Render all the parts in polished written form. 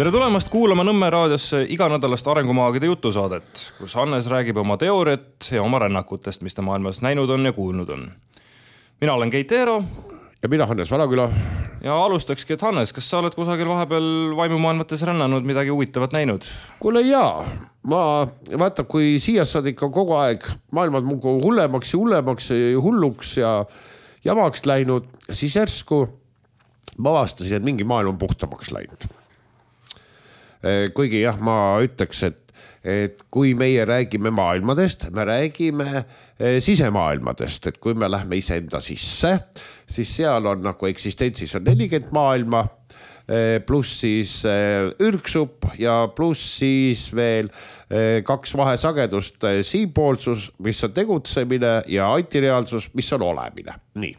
Tere tulemast kuulama Nõmme raadiosse iganädalast arengumaagide jutusaadet, kus Hannes räägib oma teooriat ja oma rännakutest, mis ta maailmas näinud on ja kuulnud on. Mina olen Keit Eero. Ja mina Hannes Valaküla. Ja alustakski, et Hannes, kas sa oled kusagil vahepeal vaimumaailmates rännanud, midagi huvitavat näinud? Kuule jaa, ma vaata, kui siia saad ikka kogu aeg maailmad mugu hullemaks ja hulluks ja jamaks läinud, siis järsku ma avastasin, et mingi maailm on puhtamaks läinud. Kuigi jah, ma ütleks, et kui meie räägime maailmadest, me räägime sisemaailmadest, et kui me lähme iseenda sisse, siis seal on nagu eksistentsis on 40 maailma, pluss siis ürgsup ja pluss siis veel 2 vahesagedust, siinpoolsus, mis on tegutsemine ja antireaalsus, mis on olemine. Nii.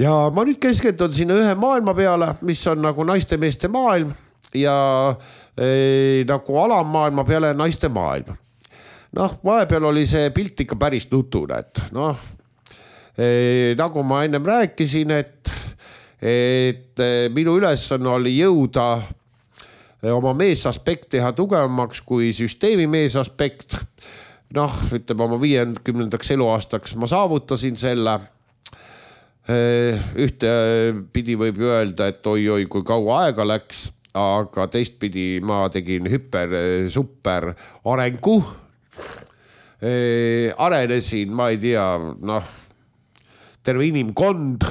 Ja ma nüüd keskendun sinna ühe maailma peale, mis on nagu naiste-meeste maailm ja nagu alammaailma peale naiste maailm. Vahepeal oli see pilt ikka päris nutune, et nagu ma ennem rääkisin, et minu ülesanne oli jõuda oma meesaspekt teha tugevamaks kui süsteemi meesaspekt. Ütleme oma 50. eluaastaks ma saavutasin selle. Ühte pidi võib ju öelda, et oi, kui kaua aega läks, aga teistpidi ma tegin super arengu. Arenesin, ma ei tea, terve inimkond.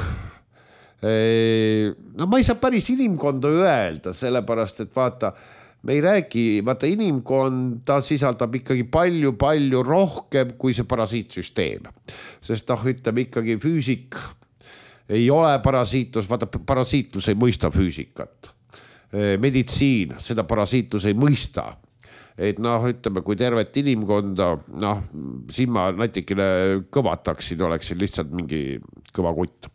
Ma ei saa päris inimkonda öelda, sellepärast, et vaata, me ei räägi, vaata inimkonda sisaldab ikkagi palju rohkem kui see parasiitsüsteem. Sest ütleme ikkagi füüsik ei ole parasiitlus, vaata parasiitlus ei mõista füüsikat. Meditsiin, seda parasiitlus ei mõista. Et ütleme, kui tervet inimkonda, siin ma natikene kõvataksin, oleksin lihtsalt mingi kõva kutt.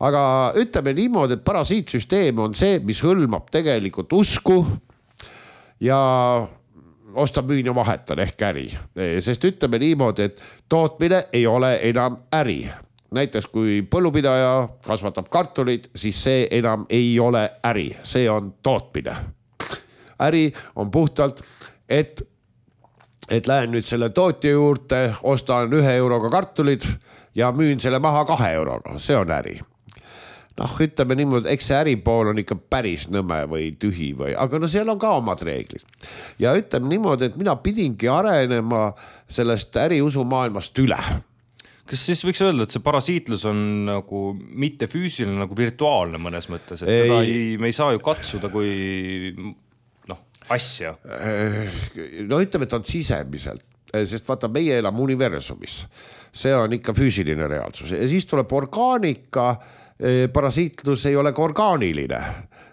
Aga ütleme niimoodi, et parasiitsüsteem on see, mis hõlmab tegelikult usku ja osta müün ja vahetan ehk äri. Sest ütleme niimoodi, et tootmine ei ole enam äri. Näiteks kui põllupidaja kasvatab kartulit, siis see enam ei ole äri, see on tootmine. Äri on puhtalt, et lähen nüüd selle tootja juurde, ostan 1 euroga kartulid ja müün selle maha 2 euroga, see on äri. Ütleme niimoodi, eks see äripool on ikka päris nõme või tühi aga seal on ka omad reeglid. Ja ütleme niimoodi, et mina pidingi arenema sellest äriusu maailmast üle. Kas siis võiks öelda, et see parasiitlus on nagu mitte füüsiline, nagu virtuaalne mõnes mõttes, et teda me ei saa ju katsuda kui asja? Ütleme, et on sisemiselt, sest vaata, meie elame universumis. See on ikka füüsiline reaalsus. Ja siis tuleb orgaanika, parasiitlus ei ole ka orgaaniline.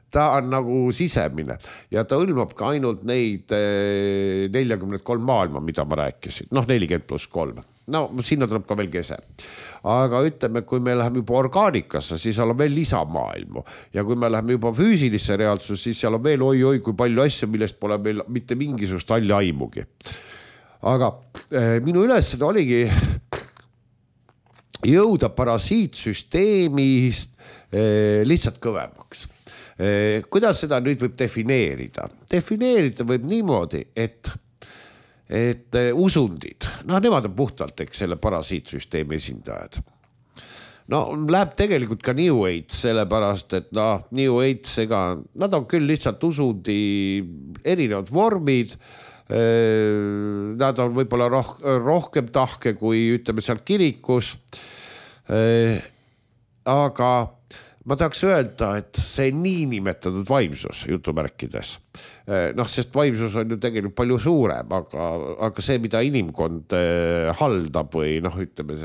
Ta on nagu sisemine ja ta hõlmab ka ainult neid 43 maailma, mida ma rääkisin. 40+3. Sinna tuleb ka veel kese. Aga ütleme, kui me läheme juba orgaanikasse, siis seal on veel lisamaailmu. Ja kui me läheme juba füüsilisse reaalsus, siis seal on veel oi, kui palju asju, millest pole meil mitte mingisugust halli aimugi. Aga minu ülesed oligi jõuda parasiitsüsteemist lihtsalt kõvemaks. Kuidas seda nüüd võib defineerida? Defineerida võib niimoodi, et usundid, nemad on puhtalt selle parasiitsüsteemi esindajad. Läheb tegelikult ka New Age, sellepärast, et New Age, nad on küll lihtsalt usundi erinevad vormid, nad on võib-olla rohkem tahke kui ütleme seal kirikus, aga ma tahaks öelda, et see niinimetatud vaimsus jutumärkides, sest vaimsus on ju tegelikult palju suurem, aga see, mida inimkond haldab või ütleme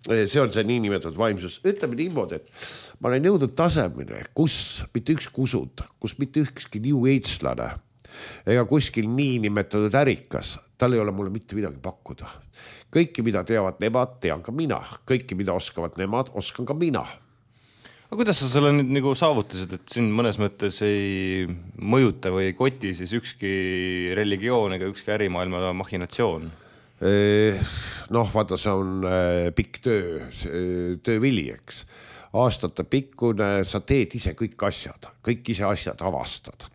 see on see niinimetatud vaimsus. Ütleme niimoodi, et ma olen jõudnud tasemine, kus mitte ükski usund, kus mitte ükski New Age-lane ega kuskil niinimetatud ärikas, tal ei ole mulle mitte midagi pakkuda. Kõiki, mida teavad nemad, tean ka mina. Kõiki, mida oskavad nemad, oskan ka mina. Aga kuidas sa selle nüüd nagu saavutasid, et sind mõnes mõttes ei mõjuta või ei koti siis ükski religioon ega ükski ärimaailma machinatsioon? Vaata, see on pikk töövili, eks. aastate pikkune, sa teed ise kõik ise asjad avastad.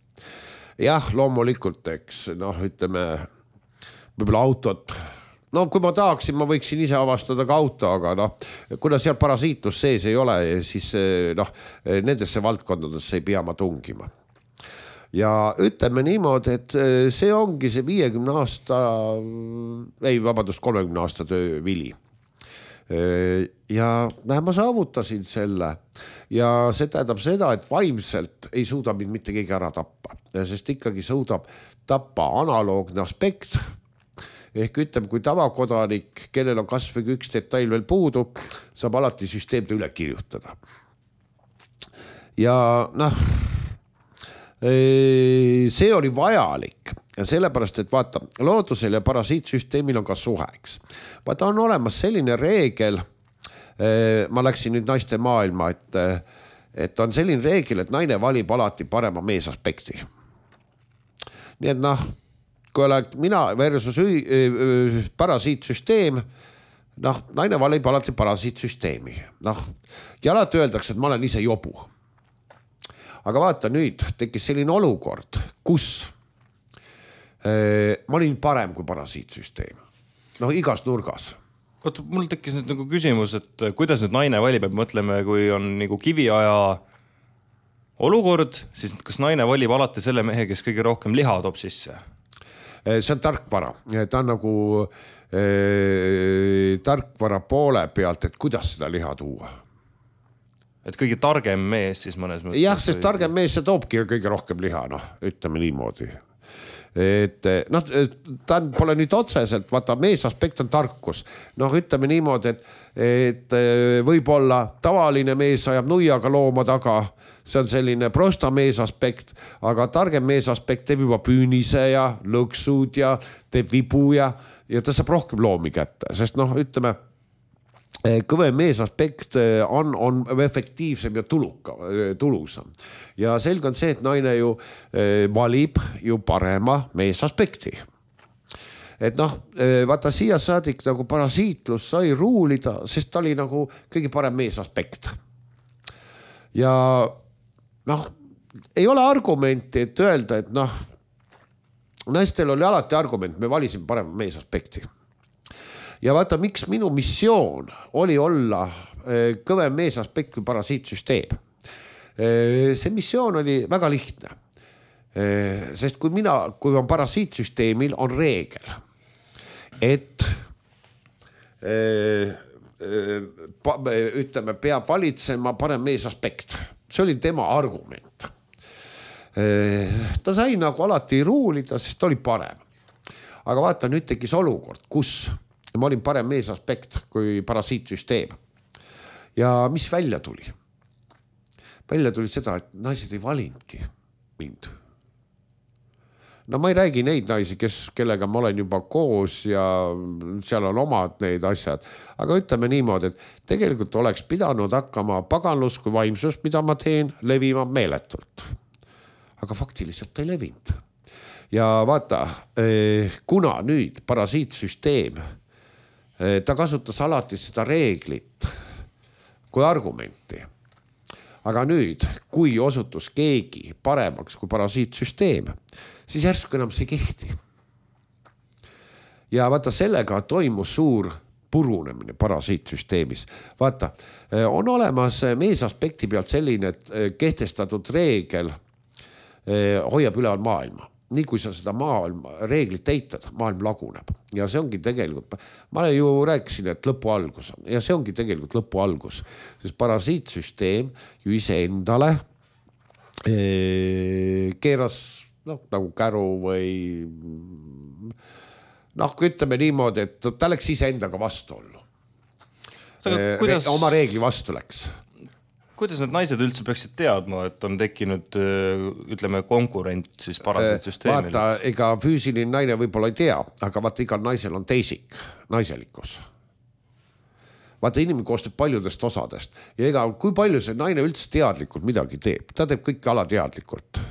Jah, loomulikult, eks, ütleme, võib-olla autot, kui ma tahaksin, ma võiksin ise avastada ka auto, aga kuna seal parasiitlus sees ei ole, siis nendesse valdkondadesse ei pea ma tungima. Ja ütleme niimoodi, et see ongi see 50 aasta, 30 aasta töö vili. Ja ma saavutasin selle ja see tähendab seda, et vaimselt ei suuda mind mitte keegi ära tappa, sest ikkagi suudab tappa analoogne aspekt. Ehk ütleme, kui tavakodanik, kellel on kas või üks detail veel puudu, saab alati süsteemde üle kirjutada. Ja see oli vajalik ja sellepärast, et vaata, loodusel ja parasiitsüsteemil on ka suheks. Vaata, on olemas selline reegel, ma läksin nüüd naiste maailma, et on selline reegel, et naine valib alati parema meesaspekti. Nii et kui oled mina versus parasiitsüsteem, naine valib alati parasiitsüsteemi. Ja alati öeldakse, et ma olen ise jobu. Aga vaata, nüüd tekkis selline olukord, kus ma olin parem kui parasiitsüsteem. Igas nurgas. Oota, mul tekkis nüüd nagu küsimus, et kuidas nüüd naine valib, et mõtleme, kui on nagu kiviaja olukord, siis kas naine valib alati selle mehe, kes kõige rohkem liha toob sisse? See on tarkvara. Ta on nagu tarkvara poole pealt, et kuidas seda liha tuua. Et kõige targem mees siis mõnes mõttes. Jah, sest targem mees see toobki kõige rohkem liha, ütleme niimoodi. Et ta pole nüüd otseselt, vaata, meesaspekt on tarkus. Ütleme niimoodi, et võib-olla tavaline mees ajab nuiaga looma taga, see on selline prosta meesaspekt, aga targem meesaspekt teeb juba püünise ja lõksud ja teeb vibu ja ta saab rohkem loomi kätte, sest ütleme, kõvem meesaspekt on efektiivsem ja tulusam. Ja selge on see, et naine ju valib ju parema meesaspekti. Et vaata siia saadik nagu parasiitlus sai ruulida, sest ta oli nagu kõige parem meesaspekt. Ja ei ole argumenti, et öelda, et naistel oli alati argument, me valisime parema meesaspekti. Ja vaata, miks minu missioon oli olla kõvem meesaspekt kui parasiitsüsteem. See missioon oli väga lihtne. Sest kui on parasiitsüsteemil, on reegel, et ütleme, peab valitsema parem meesaspekt. See oli tema argument. Ta sai nagu alati ruulida, sest ta oli parem. Aga vaata, nüüd tekkis olukord, kus ma olin parem meesaspekt kui parasiitsüsteem. Ja mis välja tuli? Välja tuli seda, et naised ei valinudki mind. Ma ei räägi neid naisi, kellega ma olen juba koos ja seal on omad neid asjad. Aga ütleme niimoodi, et tegelikult oleks pidanud hakkama paganlus kui vaimsus, mida ma teen, levima meeletult. Aga faktiliselt ei levinud. Ja vaata, kuna nüüd parasiitsüsteem, ta kasutas alati seda reeglit kui argumenti. Aga nüüd, kui osutus keegi paremaks kui parasiitsüsteem, siis järsku enam see kehti. Ja vaata, sellega toimus suur purunemine parasiitsüsteemis. Vaata, on olemas meesaspekti pealt selline kehtestatud reegel hoiab üleval maailma. Nii kui sa seda reeglit eitad, maailm laguneb. Ja see ongi tegelikult, ma ju rääkisin, et lõpu algus on. Ja see ongi tegelikult lõpu algus. Sest parasiitsüsteem ju ise endale keeras nagu käru või ütleme niimoodi, et ta läks ise endaga vastu ollu. Oma reegli vastu läks. Kuidas need naised üldse peaksid teadma, et on tekkinud, ütleme, konkurent siis parasiitsüsteemil? Vaata, ega füüsiline naine võib-olla ei tea, aga vaata, igal naisel on teisik, naiselikkus. Vaata, inimene koostab paljudest osadest ja ega kui palju see naine üldse teadlikult midagi teeb, ta teeb kõik alateadlikult.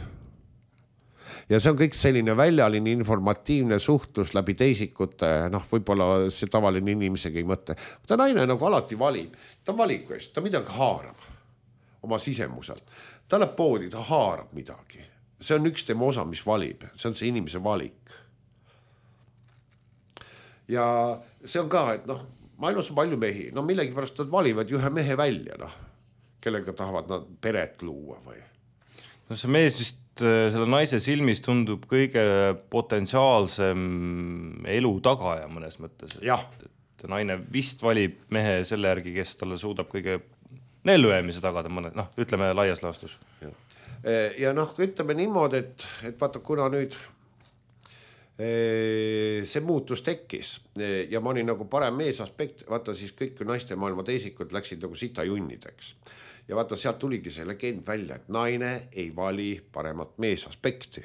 Ja see on kõik selline väljaline informatiivne suhtlus läbi teisikute, võib-olla see tavaline inimesega ei mõtle. Ta naine nagu alati valib, ta valiku eest, ta midagi haarab. oma sisemuselt. Ta läheb poodi, ta haarab midagi. See on üks tema osa, mis valib. See on see inimese valik. Ja see on ka, et maailmas on palju mehi. Millegipärast nad valivad ühe mehe välja, kellega tahavad nad peret luua või. See mees vist selle naise silmis tundub kõige potentsiaalsem elu tagaja mõnes mõttes. Et naine vist valib mehe selle järgi, kes talle suudab kõige ellujäämise tagada ütleme laias laastus. Ja ütleme niimoodi, et vaata, kuna nüüd see muutus tekkis ja ma olin nagu parem mees aspekt, vaata siis kõik naiste maailma teisikud läksid nagu sita junnideks. Ja vaata, sealt tuligi see legend välja, et naine ei vali paremat mees aspekti.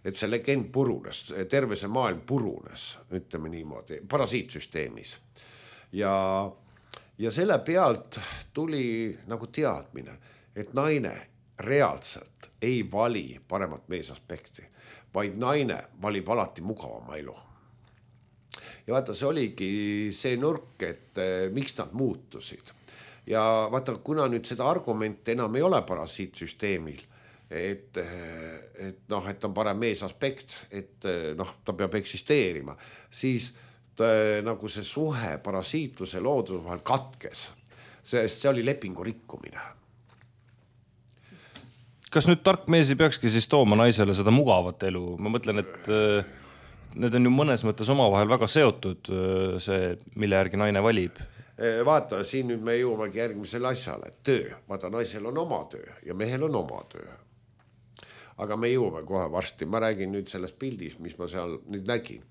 Et see legend purunes, terve see maailm purunes, ütleme niimoodi, parasiitsüsteemis. Ja selle pealt tuli nagu teadmine, et naine reaalselt ei vali paremat mees aspekti, vaid naine valib alati mugavama elu. Ja vaata, see oligi see nurk, et miks nad muutusid. Ja vaata, kuna nüüd seda argumente enam ei ole parasiitsüsteemil, et on parem mees aspekt, et ta peab eksisteerima, siis nagu see suhe parasiitluse looduse vahel katkes, sest see oli lepingu rikkumine. Kas nüüd tark mees ei peakski siis tooma naisele seda mugavat elu? Ma mõtlen, et need on ju mõnes mõttes omavahel väga seotud, see, mille järgi naine valib. Vaata, siin nüüd me jõuamegi järgmisele asjale, et töö. Vaata, naisel on oma töö ja mehel on oma töö. Aga me jõuame kohe varsti. Ma räägin nüüd sellest pildis, mis ma seal nüüd nägin.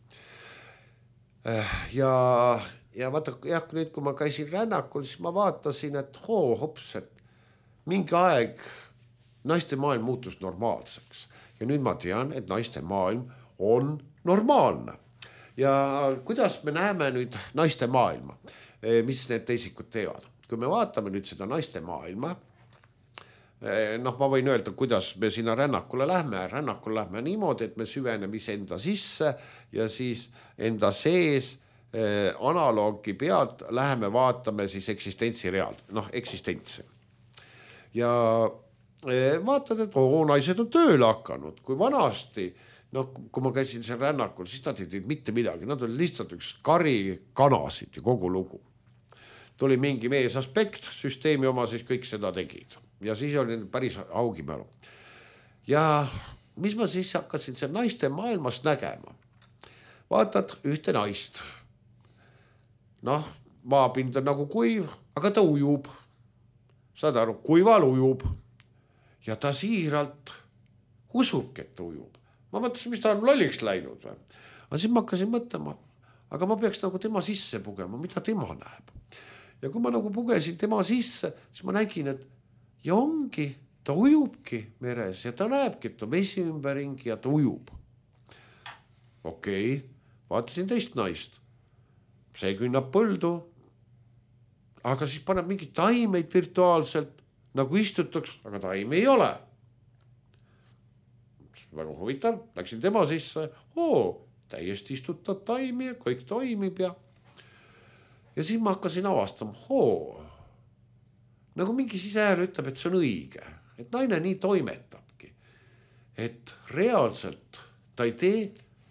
Ja vaata, nüüd kui ma käisin rännakul, siis ma vaatasin, et hops, et mingi aeg naiste maailm muutus normaalseks. Ja nüüd ma tean, et naiste maailm on normaalne. Ja kuidas me näeme nüüd naiste maailma? Mis need teisikud teevad. Kui me vaatame nüüd seda naiste maailma, ma võin öelda, kuidas me sinna rännakule lähme. Rännakul lähme niimoodi, et me süveneme enda sisse ja siis enda sees analoogi pealt läheme vaatame siis eksistentsi realt, eksistentsi. Ja vaatad, et naised on tööle hakanud, kui vanasti, kui ma käisin seal rännakul, siis nad ei teinud mitte midagi, nad olid lihtsalt üks kari kanasid ja kogu lugu. Tuli mingi mees aspekt, süsteemi oma siis kõik seda tegid. Ja siis oli päris augimälu. Ja mis ma siis hakkasin seal naiste maailmas nägema? Vaatad ühte naist. Maapind on nagu kuiv, aga ta ujub. Saad aru, kuival ujub. Ja ta siiralt usubki, et ta ujub. Ma mõtlesin, mis ta on lolliks läinud. Aga siis ma hakkasin mõtlema, aga ma peaks nagu tema sisse pugema, mida tema näeb. Ja kui ma nagu pugesin tema sisse, siis ma nägin, et ja ongi, ta ujubki meres ja ta näebki, et on vesi ümberringi ja ta ujub. Okei, vaatasin teist naist. See künnab põldu, aga siis paneb mingi taimeid virtuaalselt, nagu istutaks, aga taime ei ole. Väga huvitav, läksin tema sisse, täiesti istutab taimi ja kõik toimib ja siis ma hakkasin avastama, nagu mingi sisehääl ütleb, et see on õige, et naine nii toimetabki, et reaalselt ta ei tee,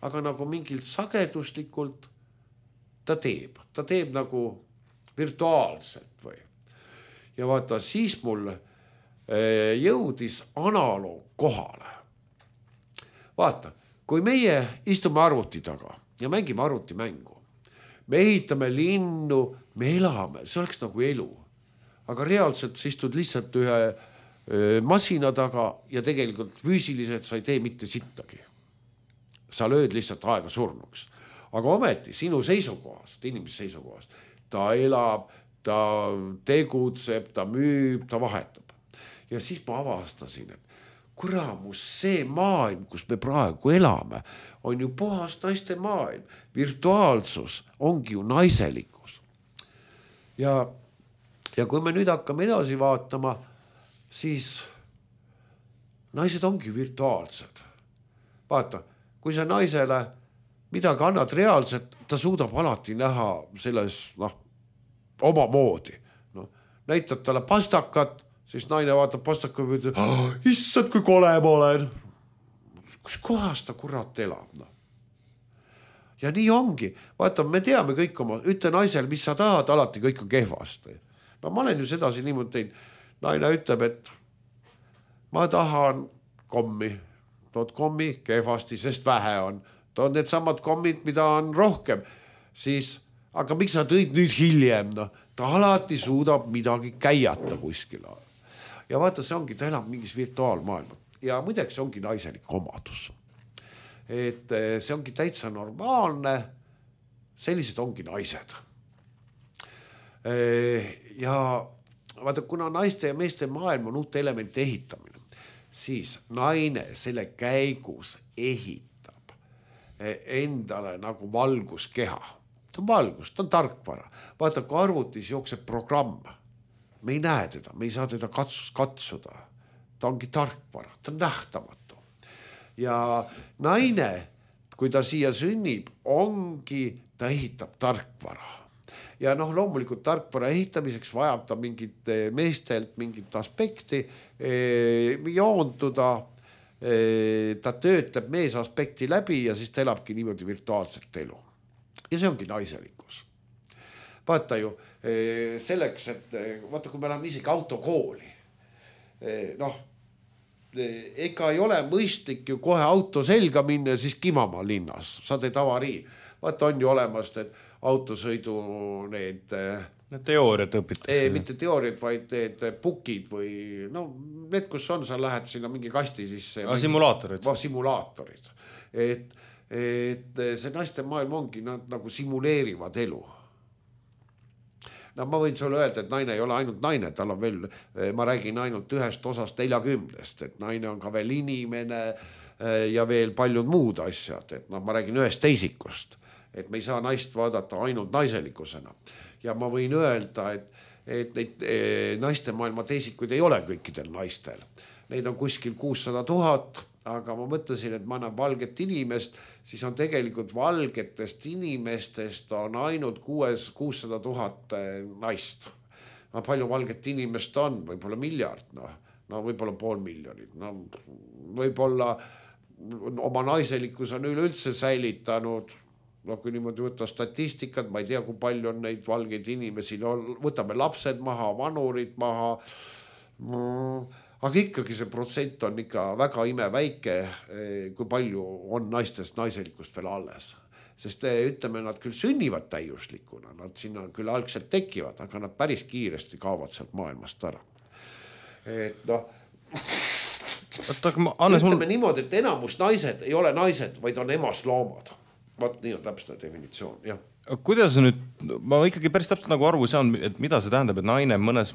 aga nagu mingilt sageduslikult ta teeb nagu virtuaalselt või. Ja vaata, siis mul jõudis analoog kohale. Vaata, kui meie istume arvuti taga ja mängime arvutimängu, me ehitame linnu, me elame, see oleks nagu elu. Aga reaalselt sa istud lihtsalt ühe masina taga ja tegelikult füüsiliselt sa ei tee mitte sittagi. Sa lööd lihtsalt aega surnuks. Aga ometi sinu seisukohast, inimese seisukohast, ta elab, ta tegutseb, ta müüb, ta vahetab. Ja siis ma avastasin, et kuramus, see maailm, kus me praegu elame, on ju puhas naiste maailm. Virtuaalsus ongi ju naiselikkus. Ja kui me nüüd hakkame edasi vaatama, siis naised ongi virtuaalsed. Vaata, kui sa naisele midagi annad reaalselt, ta suudab alati näha selles oma moodi. Näitad talle pastakat, siis naine vaatab pastaku ja ütleb, issad, kui kole ma olen. Kus kohas ta kurat elab, noh. Ja nii ongi. Vaata, me teame kõik oma, ütle naisel, mis sa tahad, alati kõik on kehvasti. No ma olen ju sedasi niimoodi teinud. Naine ütleb, et ma tahan kommi. Tood kommi kehvasti, sest vähe on. Tood need samad kommid, mida on rohkem. Siis, aga miks sa tõid nüüd hiljem? No, ta alati suudab midagi käiata kuskil. Ja vaata, see ongi, ta elab mingis virtuaalmaailma. Ja muideks see ongi naiselik omadus. Et see ongi täitsa normaalne. Sellised ongi naised. Ja vaata, kuna naiste ja meeste maailm on uute elemente ehitamine, siis naine selle käigus ehitab endale nagu valguskeha. Ta on valgus, ta on tarkvara. Vaata, kui arvutis jookseb programm, me ei näe teda, me ei saa teda katsuda. Ta ongi tarkvara, ta on nähtamatu. Ja naine, kui ta siia sünnib, ongi, ta ehitab tarkvara. Ja noh, loomulikult tarkvara ehitamiseks vajab ta mingit meestelt mingit aspekti joonduda. Ta töötleb mees aspekti läbi ja siis ta elabki niimoodi virtuaalset elu. Ja see ongi naiselikkus. Vaata ju, selleks, et vaata, kui me läheme isegi autokooli, noh, ega ei ole mõistlik ju kohe auto selga minna ja siis kimama linnas. Sa teed avarii. Vaata, on ju olemas need autosõidu need teooriat õpitakse. Mitte teooriat, vaid need bukid või no, need, kus on, sa lähed sinna mingi kasti sisse. Simulaatorid. Simulaatorid. Et see naiste maailm ongi, nad nagu simuleerivad elu. No ma võin sulle öelda, et naine ei ole ainult naine, tal on veel, ma räägin ainult ühest osast 40, et naine on ka veel inimene ja veel paljud muud asjad, et no, ma räägin ühest teisikust, et me ei saa naist vaadata ainult naiselikusena. Ja ma võin öelda, et neid naiste maailma teisikuid ei ole kõikidel naistel. Neid on kuskil 600 000, aga ma mõtlesin, et ma annan valget inimest, siis on tegelikult valgetest inimestest on ainult 600 000 naist. No, palju valget inimest on? Võib-olla miljard, no võib-olla 500 000. No, võib-olla oma naiselikus on üleüldse säilitanud, no kui niimoodi võtta statistikat, ma ei tea, kui palju on neid valgeid inimesi, no võtame lapsed maha, vanurid maha, aga ikkagi see protsent on ikka väga imeväike, kui palju on naistest naiselikust veel alles. Sest ütleme, nad küll sünnivad täiuslikuna, nad sinna küll algselt tekivad, aga nad päris kiiresti kaovad sealt maailmast ära. Et noh, ütleme niimoodi, et enamus naised ei ole naised, vaid on emasloomad. Vaat nii on täpselt definitsioon, jah. Kuidas nüüd, ma ikkagi päris täpselt nagu arvu saan, et mida see tähendab, et naine mõnes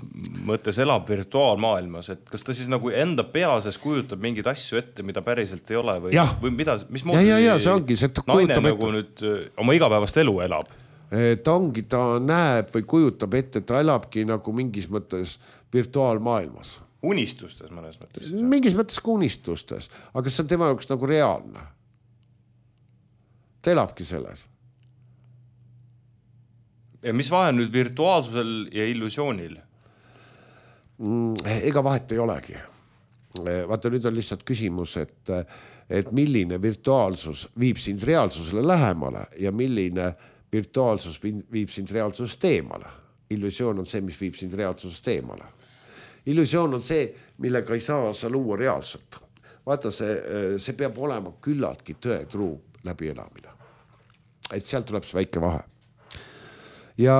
mõttes elab virtuaalmaailmas, et kas ta siis nagu enda peases kujutab mingeid asju ette, mida päriselt ei ole või mida, mis see ongi, see naine nagu nüüd oma igapäevast elu elab? Ta ongi, ta näeb või kujutab ette, ta elabki nagu mingis mõttes virtuaalmaailmas. Unistustes mõnes mõttes? Mingis mõttes ka unistustes, aga see on tema jaoks nagu reaalne. Ta elabki selles. Ja mis vahe nüüd virtuaalsusel ja illusioonil? Ega vahet ei olegi. Vaata, nüüd on lihtsalt küsimus, et milline virtuaalsus viib sind reaalsusele lähemale ja milline virtuaalsus viib sind reaalsusest eemale. Illusioon on see, mis viib sind reaalsusest eemale. Illusioon on see, millega ei saa sa luua reaalselt. Vaata, see peab olema küllaltki tõetruu läbi elamine. Et sealt tuleb see väike vahe. Ja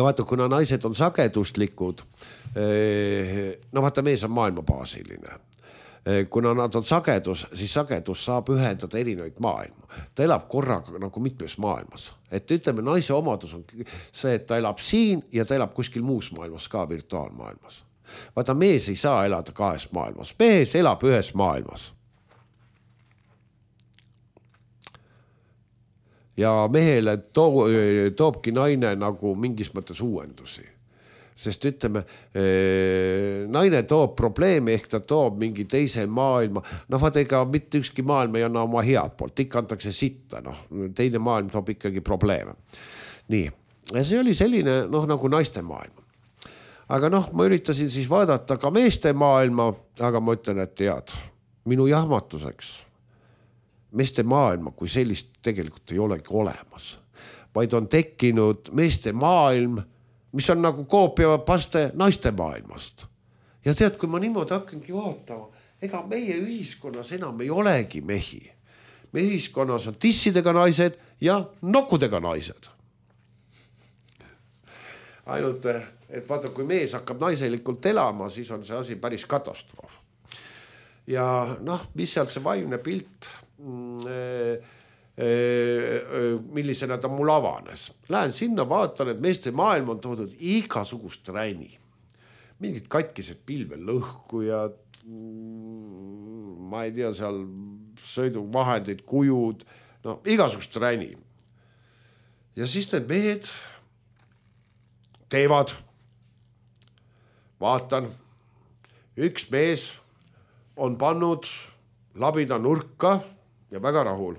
vaata, kuna naised on sageduslikud, no vaata, mees on maailmabaasiline. Kuna nad on sagedus, siis sagedus saab ühendada erinevaid maailma. Ta elab korraga nagu mitmes maailmas. Et ütleme, naise omadus on see, et ta elab siin ja ta elab kuskil muus maailmas ka virtuaalmaailmas. Vaata, mees ei saa elada kahes maailmas. Mees elab ühes maailmas. Ja mehele toobki naine nagu mingis mõttes uuendusi. Sest ütleme, naine toob probleemi, ehk ta toob mingi teise maailma. No vaata, ega mitte ükski maailm ei anna oma head poolt, ikka antakse sitta, teine maailm toob ikkagi probleeme. Nii, ja see oli selline nagu naiste maailm. aga noh, ma üritasin siis vaadata ka meeste maailma, aga ma ütlen, et tead, minu jahmatuseks meeste maailma kui sellist tegelikult ei olegi olemas, vaid on tekkinud meeste maailm, mis on nagu koopiapaste naiste maailmast. Ja tead, kui ma niimoodi hakkangi vaatama, ega meie ühiskonnas enam ei olegi mehi. Meie ühiskonnas on tissidega naised ja nokkudega naised. Ainult, et vaata, kui mees hakkab naiselikult elama, siis on see asi päris katastroof. Ja noh, mis seal see vaimne pilt, millisena ta mul avanes. Lähen sinna, vaatan, et meeste maailm on toodud igasugust räni. Mingid katkised pilvelõhkujad, ma ei tea, seal sõiduvahendid, kujud, no igasugust räni. Ja siis need mehed teevad, vaatan, üks mees on pannud labida nurka ja väga rahul.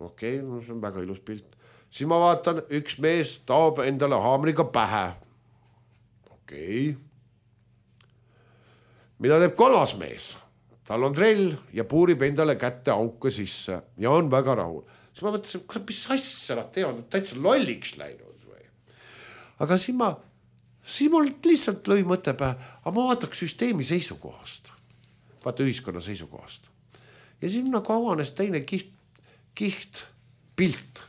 Okei, no see on väga ilus pilt. Siis ma vaatan, üks mees taob endale haamriga pähe. Okei. Mida teeb kolmas mees? Tal on trell ja puurib endale kätte auke sisse ja on väga rahul. Siis ma mõtlesin, mis asja nad teevad, et täitsa lolliks läinud või? Aga siis mul lihtsalt lõi mõte pähe, aga ma vaataks süsteemi seisukohast. Vaata ühiskonna seisukohast. Ja siis nagu avanes teine kiht pilt.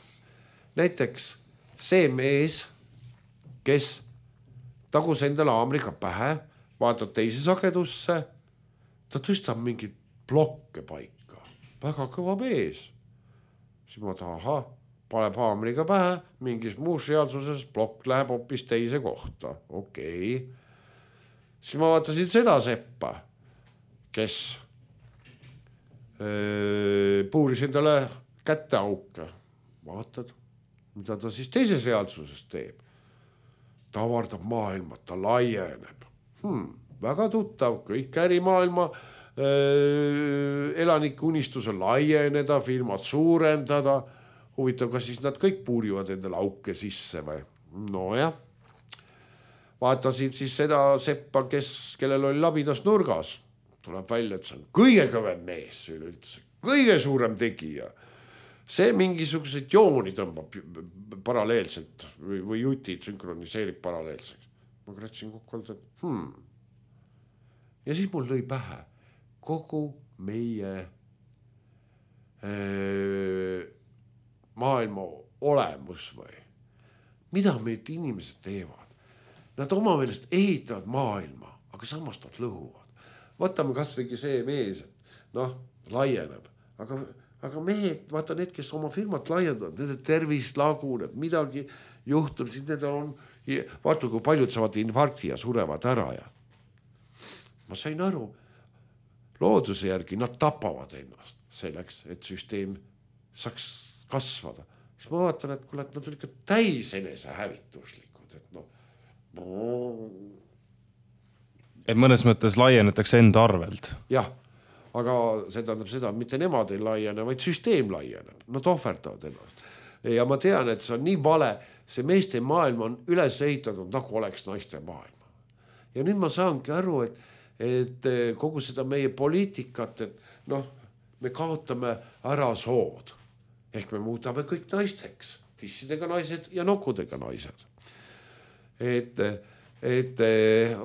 Näiteks see mees, kes tagus endale haamriga pähe, vaatab teise sagedusse, ta tõstab mingid blokke paika. Väga kõva mees. Siis ma taha, paneb haamriga pähe, mingis muus reaalsuses plokk läheb hoopis teise kohta. Okei. Siis ma vaatasin seda seppa, kes puuris endale kätte auke. Vaatad, mida ta siis teises reaalsuses teeb. Ta avardab maailma, ta laieneb. Väga tuttav, kõik ärimaailma elanike unistuse laieneda, firmad suurendada. Huvitav, kas siis nad kõik puurivad endale auke sisse või? No jah. Vaatasin siis seda seppa, kellel oli labidas nurgas. Tuleb välja, et see on kõige kõvem mees üleüldse, kõige suurem tegija. See mingisugused jooni tõmbab paralleelselt või jutid sünkroniseerib paralleelseks. Ma kratsin kokku, et Ja siis mul lõi pähe kogu meie maailma olemus või. Mida meid inimesed teevad? Nad oma meelest ehitavad maailma, aga samas nad lõhuvad. Võtame kasvõigi see mees, et laieneb, aga mehed, vaata need, kes oma firmat laiendavad, nende tervis laguneb, midagi juhtub, siis need on, vaata kui paljud saavad infarkti ja surevad ära ja ma sain aru, looduse järgi nad tapavad ennast selleks, et süsteem saaks kasvada. Siis ma vaatan, et kuule, et nad on ikka täis enese hävituslikud, et Et mõnes mõttes laienetakse enda arvelt. Jah, aga see tähendab seda, mitte nemad ei laiene, vaid süsteem laieneb. Nad ohverdavad ennast. Ja ma tean, et see on nii vale, see meeste maailm on üles ehitatud, nagu oleks naiste maailma. Ja nüüd ma saangi aru, et kogu seda meie poliitikat, et me kaotame ära sood. Ehk me muudame kõik naisteks, tissidega naised ja nokkudega naised. Et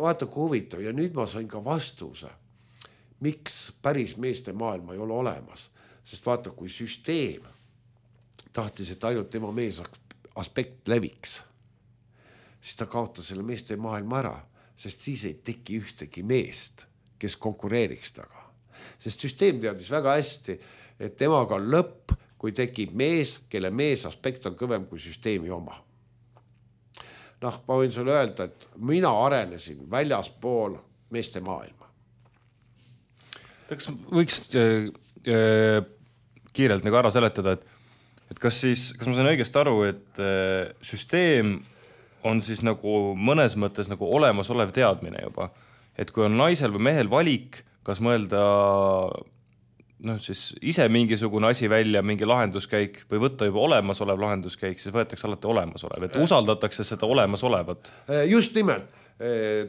vaata kui huvitav ja nüüd ma sain ka vastuse, miks päris meeste maailma ei ole olemas, sest vaata kui süsteem tahtis, et ainult tema mees aspekt leviks, siis ta kaotas selle meeste maailma ära, sest siis ei teki ühtegi meest, kes konkureeriks taga. Sest süsteem teadis väga hästi, et temaga on lõpp, kui tekib mees, kelle mees aspekt on kõvem kui süsteemi oma. Ma võin sulle öelda, et mina arenesin väljaspool meeste maailma. Kas võiks kiirelt nagu ära seletada, et kas ma sain õigesti aru, et süsteem on siis nagu mõnes mõttes nagu olemasolev teadmine juba, et kui on naisel või mehel valik, kas mõelda siis ise mingisugune asi välja, mingi lahenduskäik või võtta juba olemasolev lahenduskäik, siis võetakse alati olemasolev, et usaldatakse seda olemasolevat. Just nimelt,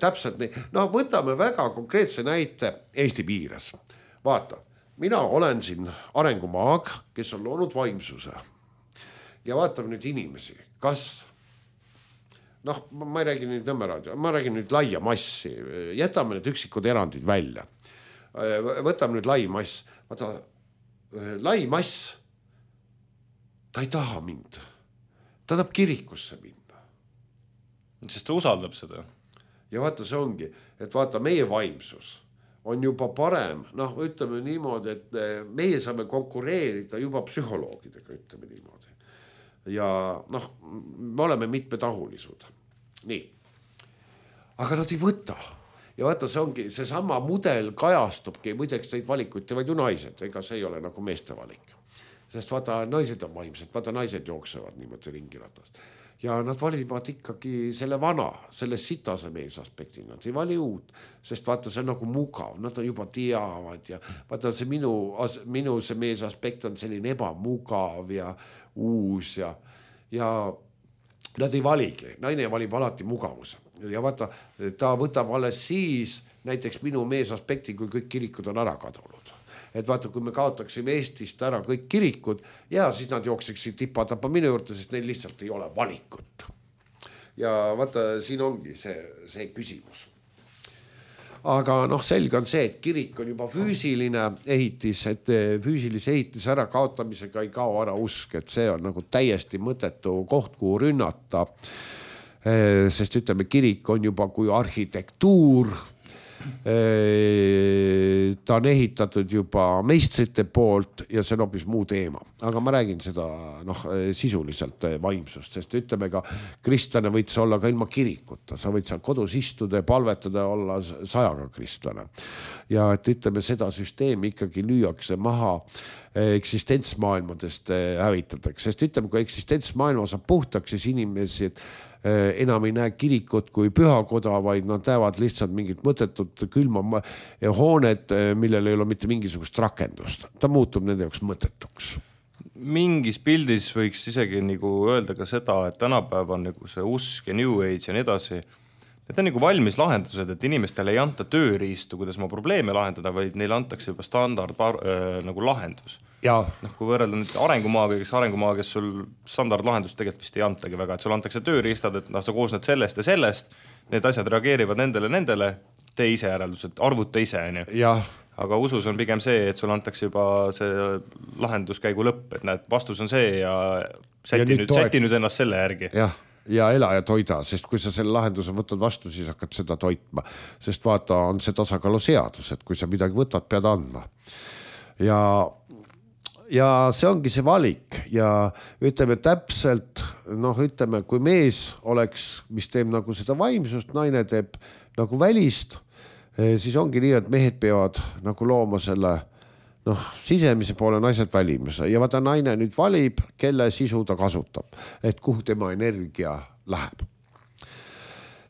täpselt nii. No võtame väga konkreetse näite Eesti piires. Vaata, mina olen siin arengumaag, kes on loonud vaimsuse ja vaatame nüüd inimesi, kas ma ei räägi nüüd Nõmmeraadio, ma räägin nüüd laia massi, jätame need üksikud erandid välja. Võtame nüüd lai mass. Vaata, lai mass, ta ei taha mind. Ta tahab kirikusse minna. Sest ta usaldab seda. Ja vaata, see ongi, et vaata, meie vaimsus on juba parem. Ütleme niimoodi, et meie saame konkureerida juba psühholoogidega, ütleme niimoodi. Ja me oleme mitmetahulisud. Nii. Aga nad ei võta. Ja vaata, see ongi, see sama mudel kajastubki, muideks neid valikuid teevad ju naised, ega see ei ole nagu meeste valik. Sest vaata, naised on vaimsed, vaata, naised jooksevad niimoodi ringiratast. Ja nad valivad ikkagi selle vana, selle sitase meesaspekti, nad ei vali uut, sest vaata, see on nagu mugav, nad on juba teavad ja vaata, see minu see meesaspekt on selline ebamugav ja uus ja nad ei valigi, naine valib alati mugavuse ja vaata, ta võtab alles siis näiteks minu meesaspekti, kui kõik kirikud on ära kadunud. Et vaata, kui me kaotaksime Eestist ära kõik kirikud ja siis nad jookseksid tippatapa minu juurde, sest neil lihtsalt ei ole valikut. Ja vaata, siin ongi see küsimus. Aga selge on see, et kirik on juba füüsiline ehitis, et füüsilise ehitise ära kaotamisega ei kao ära usk, et see on nagu täiesti mõttetu koht, kuhu rünnata. Sest ütleme, kirik on juba kui arhitektuur, ta on ehitatud juba meistrite poolt ja see on hoopis muu teema. Aga ma räägin seda sisuliselt vaimsust, sest ütleme ka kristlane võid sa olla ka ilma kirikuta, sa võid seal kodus istuda ja palvetada olla 100 kristlane. Ja et ütleme, seda süsteemi ikkagi lüüakse maha, eksistentsmaailmadest hävitatakse, sest ütleme, kui eksistentsmaailma saab puhtaks, siis inimesi enam ei näe kirikut kui pühakoda, vaid nad näevad lihtsalt mingit mõttetut külma hoonet, millel ei ole mitte mingisugust rakendust. Ta muutub nende jaoks mõttetuks. Mingis pildis võiks isegi nagu öelda ka seda, et tänapäev on nagu see usk ja New Age ja nii edasi. Need on nagu valmis lahendused, et inimestele ei anta tööriistu, kuidas ma probleeme lahendada, vaid neile antakse juba standard nagu lahendus. Ja. Kui võrrelda nüüd arengumaaga, kes sul standardlahendust tegelikult vist ei antagi väga, et sul antakse tööriistad, et sa koosned sellest ja sellest, need asjad reageerivad nendele, tee ise järeldused, arvuta ise. Aga usus on pigem see, et sul antakse juba see lahenduskäigu lõpp, et näed, vastus on see ja säti nüüd ennast selle järgi. Ja ela ja toida, sest kui sa selle lahenduse võtad vastu, siis hakkad seda toitma. Sest vaata, on see tasakaalu seadus, et kui sa midagi võtad, pead andma. Ja see ongi see valik ja ütleme täpselt, ütleme, kui mees oleks, mis teeb nagu seda vaimsust, naine teeb nagu välist, siis ongi nii, et mehed peavad nagu looma selle sisemise poole, naised välimise ja vaata, naine nüüd valib, kelle sisu ta kasutab, et kuhu tema energia läheb.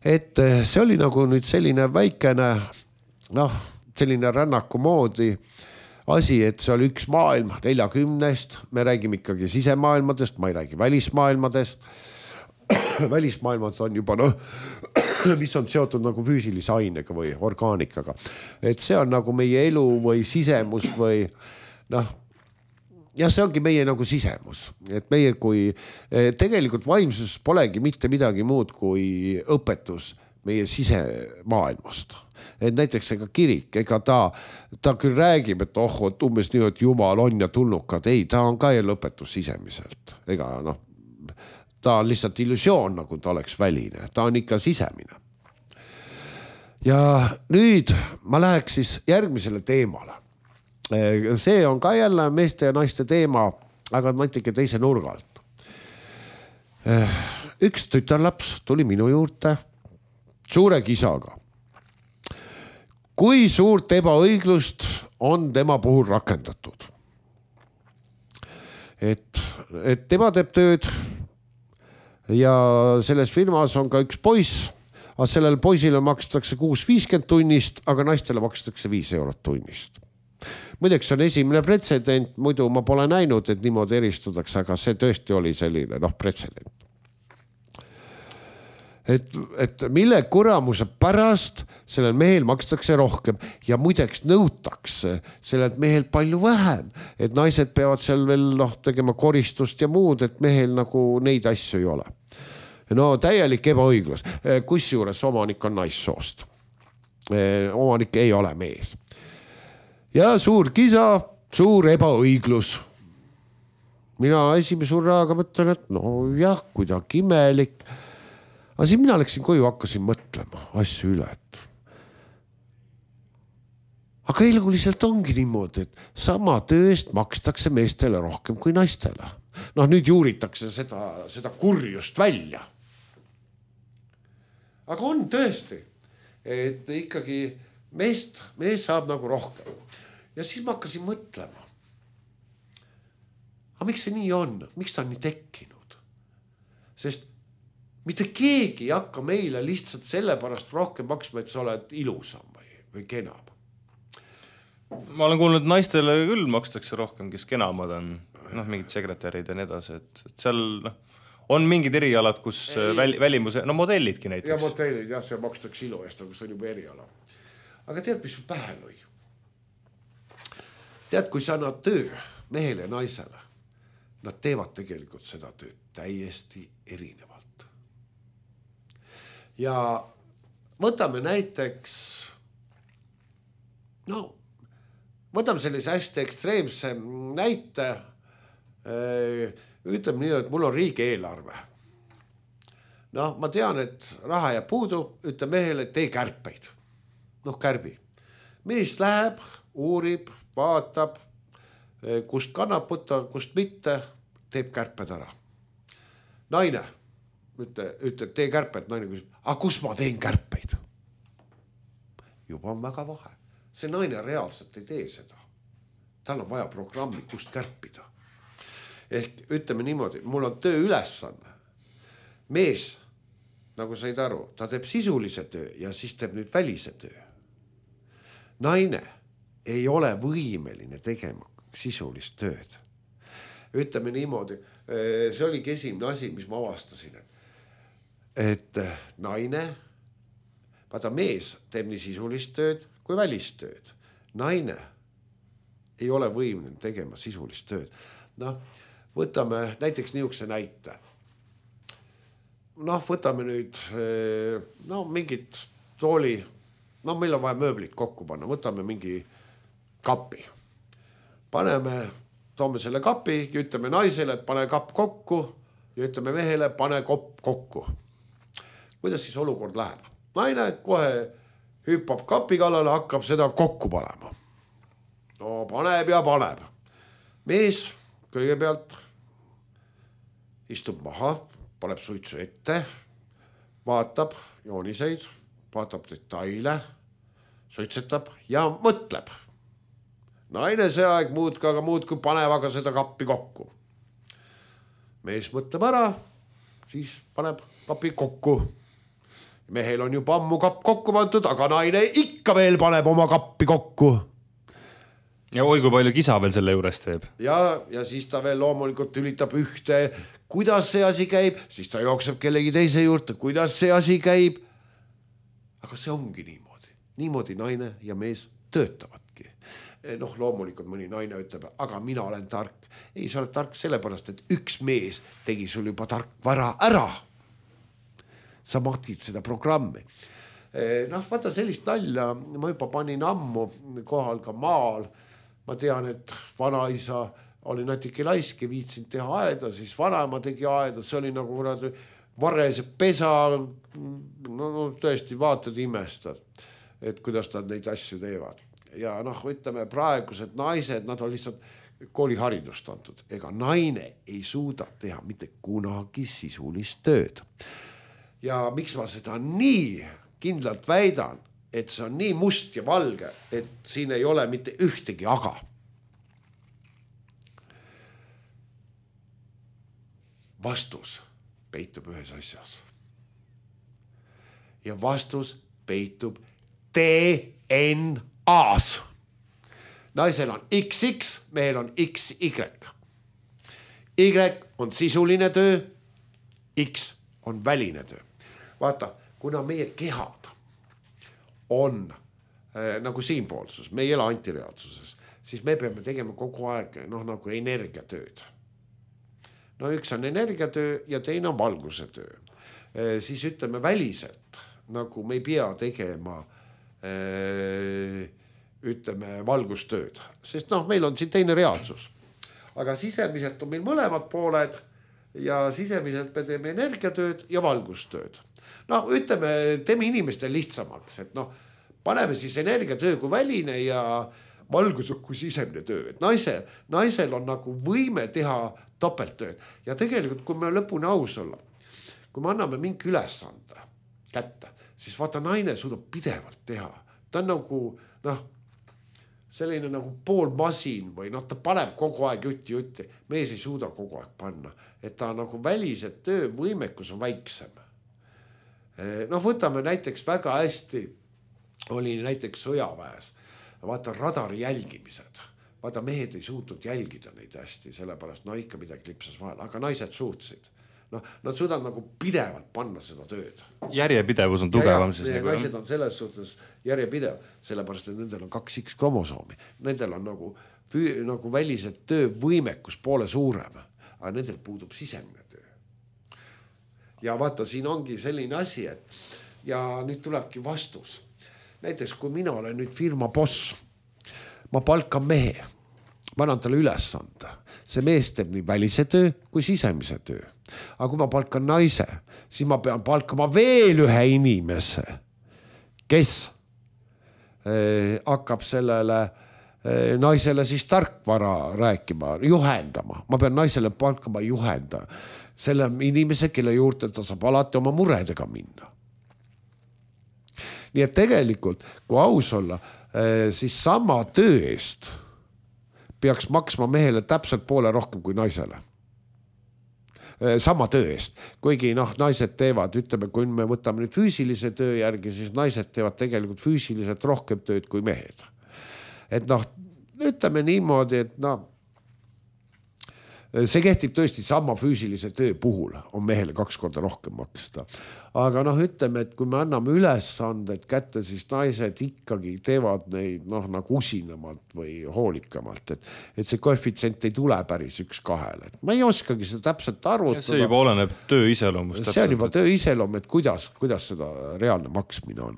Et see oli nagu nüüd selline väikene, selline rännaku moodi asi, et see oli üks maailm 40, me räägime ikkagi sisemaailmadest, ma ei räägi välismaailmadest. Välismaailmad on juba, mis on seotud nagu füüsilise ainega või orgaanikaga. Et see on nagu meie elu või sisemus või ja see ongi meie nagu sisemus. Et meie kui tegelikult vaimsus polegi mitte midagi muud kui õpetus meie sisemaailmast. Et näiteks ega kirik, ega ta küll räägib, et et umbes nii, et Jumal on ja tulnukad. Ei, ta on ka lõpetus sisemiselt. Ega ta on lihtsalt illusioon, nagu ta oleks väline. Ta on ikka sisemine. Ja nüüd ma läheks siis järgmisele teemale. See on ka jälle meeste ja naiste teema, aga ma ütlengi teise nurgalt. Üks tütarlaps tuli minu juurde suure kisaga. Kui suurt ebaõiglust on tema puhul rakendatud? Et tema teeb tööd ja selles firmas on ka üks poiss, aga sellel poisile makstakse 6.50 tunnist, aga naistele makstakse 5 eurot tunnist. Muideks on esimene pretsedent, muidu ma pole näinud, et niimoodi eristutakse, aga see tõesti oli selline pretsedent. Et mille kuramuse pärast sellel mehel makstakse rohkem ja muideks nõutakse sellelt mehel palju vähem, et naised peavad seal veel tegema koristust ja muud, et mehel nagu neid asju ei ole. No täielik ebaõiglus, kusjuures omanik on naissoost. Omanik ei ole mees. Ja suur kisa, suur ebaõiglus. Mina esimese hurraaga mõtlen, et jah, kuidagi imelik. Aga siis mina läksin koju, hakkasin mõtlema asju üle, et aga eluliselt ongi niimoodi, et sama tööst makstakse meestele rohkem kui naistele. Nüüd juuritakse seda kurjust välja. Aga on tõesti, et ikkagi mees saab nagu rohkem. Ja siis ma hakkasin mõtlema. Aga miks see nii on? Miks ta on nii tekkinud? Sest mitte keegi ei hakka meile lihtsalt sellepärast rohkem maksma, et sa oled ilusam või kenam. Ma olen kuulnud, et naistele küll makstakse rohkem, kes kenamad on. Mingid sekretärid ja nii edasi. Et seal on mingid erialad, kus välimuse, modellidki näiteks. Ja modellid, jah, see makstakse ilu eest, aga see on juba eriala. Aga tead, mis pähe lõi? Tead, kui sa annad töö mehele ja naisele, nad teevad tegelikult seda tööd täiesti erinevalt. Ja võtame näiteks, võtame sellise hästi ekstreemse näite, ütleme nii, et mul on riigi eelarve. Ma tean, et raha jääb puudu, ütle mehele, et tee kärpeid. Kärbi. Mees läheb, uurib, vaatab, kust kannab võtta, kust mitte, teeb kärped ära. Naine, ütle, tee kärped, naine küsib, aga kus ma teen kärpeid? Juba on väga vahe. See naine reaalselt ei tee seda. Tal on vaja programmi, kust kärpida. Ehk ütleme niimoodi, mul on töö ülesanne. Mees, nagu said aru, ta teeb sisulise töö ja siis teeb nüüd välise töö. Naine ei ole võimeline tegema sisulist tööd. Ütleme niimoodi, see oligi esimene asi, mis ma avastasin, et naine, vaata mees teeb nii sisulist tööd kui välistööd. Naine ei ole võimeline tegema sisulist tööd. Võtame näiteks niisuguse näite. Võtame nüüd mingit tooli, meil on vaja mööblit kokku panna, võtame mingi kapi. Toome selle kapi ja ütleme naisele, et pane kapp kokku ja ütleme mehele, pane kopp kokku. Kuidas siis olukord läheb? Naine kohe hüppab kapi kallale, hakkab seda kokku panema. Paneb ja paneb. Mees kõigepealt istub maha, paneb suitsu ette, vaatab jooniseid, vaatab detaile, suitsetab ja mõtleb. Naine see aeg muudkui paneb aga seda kappi kokku. Mees mõtleb ära, siis paneb kapi kokku. Mehel on juba ammu kapp kokku pandud, aga naine ikka veel paneb oma kappi kokku. Ja oi, kui palju kisa veel selle juures teeb. Ja siis ta veel loomulikult ülitab ühte, kuidas see asi käib, siis ta jookseb kellegi teise juurde, kuidas see asi käib. Aga see ongi niimoodi. Niimoodi naine ja mees töötavadki. Loomulikult mõni naine ütleb, aga mina olen tark. Ei, sa oled tark sellepärast, et üks mees tegi sul juba tarkvara ära. Sa mahtid seda programmi. Vaata sellist nalja, ma juba panin ammu kohal ka maal. Ma tean, et vanaisa oli natuke laiske, viitsin teha aeda, siis vanaema tegi aeda, see oli nagu varese pesa, tõesti vaatad imestad, et kuidas nad neid asju teevad. Ja ütleme praegused naised, nad on lihtsalt kooliharidust antud. Ega naine ei suuda teha mitte kunagi sisulist tööd. Ja miks ma seda nii kindlalt väidan, et see on nii must ja valge, et siin ei ole mitte ühtegi aga. Vastus peitub ühes asjas. Ja vastus peitub DNA-s. naisel on XX, mehel on XY. Y on sisuline töö, X on väline töö. Vaata, kuna meie kehad on nagu siinpoolsus, me ei ela antireaalsuses, siis me peame tegema kogu aeg nagu energiatööd. No üks on energiatöö ja teine on valguse töö. Siis ütleme väliselt, nagu me ei pea tegema ütleme valgustööd, sest meil on siin teine reaalsus. Aga sisemiselt on meil mõlemad pooled ja sisemiselt me teeme energiatööd ja valgustööd. Ütleme, teeme inimestel lihtsamaks, et paneme siis energiatöö kui väline ja valgus kui sisemine töö. Et naisel on nagu võime teha topelttööd ja tegelikult, kui me lõpuni aus olla, kui me anname mingi ülesande kätte, siis vaata naine suudab pidevalt teha. Ta on nagu, selline nagu pool masin või ta paneb kogu aeg jutti. Mees ei suuda kogu aeg panna, et ta nagu välised töövõimekus on väiksem. Võtame näiteks väga hästi, oli näiteks sõjaväes, vaata radari jälgimised. Vaata mehed ei suutnud jälgida neid hästi, sellepärast ikka midagi lipsas vahel, aga naised suutsid. Nad suudavad nagu pidevalt panna seda tööd. Järjepidevus on tugevam. Naised on selles suhtes järjepidev, sellepärast, et nendel on 2 X-kromosoomi. Nendel on nagu välised töövõimekus poole suurem, aga nendel puudub sisemine töö. Ja vaata, siin ongi selline asi, et ja nüüd tulebki vastus. Näiteks, kui mina olen nüüd firma boss, ma palkan mehe, ma annan talle ülesande. See mees teeb nii välise töö kui sisemise töö. Aga kui ma palkan naise, siis ma pean palkama veel ühe inimese, kes hakkab sellele naisele siis tarkvara rääkima, juhendama. Ma pean naisele palkama juhenda. Selle inimese, kelle juurde ta saab alati oma muredega minna. Nii et tegelikult, kui aus olla, siis sama töö eest peaks maksma mehele täpselt poole rohkem kui naisele. Sama töö eest. Kuigi naised teevad, ütleme, kui me võtame nüüd füüsilise töö järgi, siis naised teevad tegelikult füüsiliselt rohkem tööd kui mehed. Et ütleme niimoodi, et see kehtib tõesti sama füüsilise töö puhul, on mehele 2 korda rohkem maksta. Aga ütleme, et kui me anname ülesanded kätte, siis naised ikkagi teevad neid nagu usinamalt või hoolikamalt, et see koefitsient ei tule päris 1-2. Ma ei oskagi seda täpselt arvutada. See juba oleneb töö iseloomust. See on juba töö iseloom, et kuidas seda reaalne maksmine on.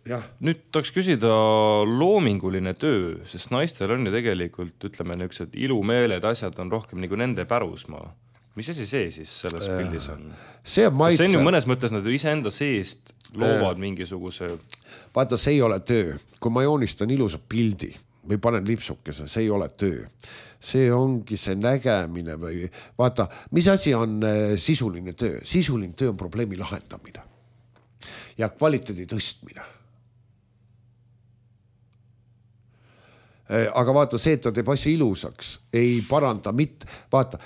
Ja. Nüüd tahaks küsida loominguline töö, sest naistel on ju tegelikult, ütleme, niisugused ilumeeled asjad on rohkem nagu nende pärusmaa. Mis asi see siis selles pildis on? See on maitse. See on ju mõnes mõttes nad ise enda seest loovad mingisuguse... Vaata, see ei ole töö. Kui ma joonistan ilusa pildi või panen lipsukese, see ei ole töö. See ongi see nägemine või... Vaata, mis asi on sisuline töö? Sisuline töö on probleemi lahendamine ja kvaliteedi tõstmine. Aga vaata, see, et ta teeb asja ilusaks, ei paranda mitte. Vaata,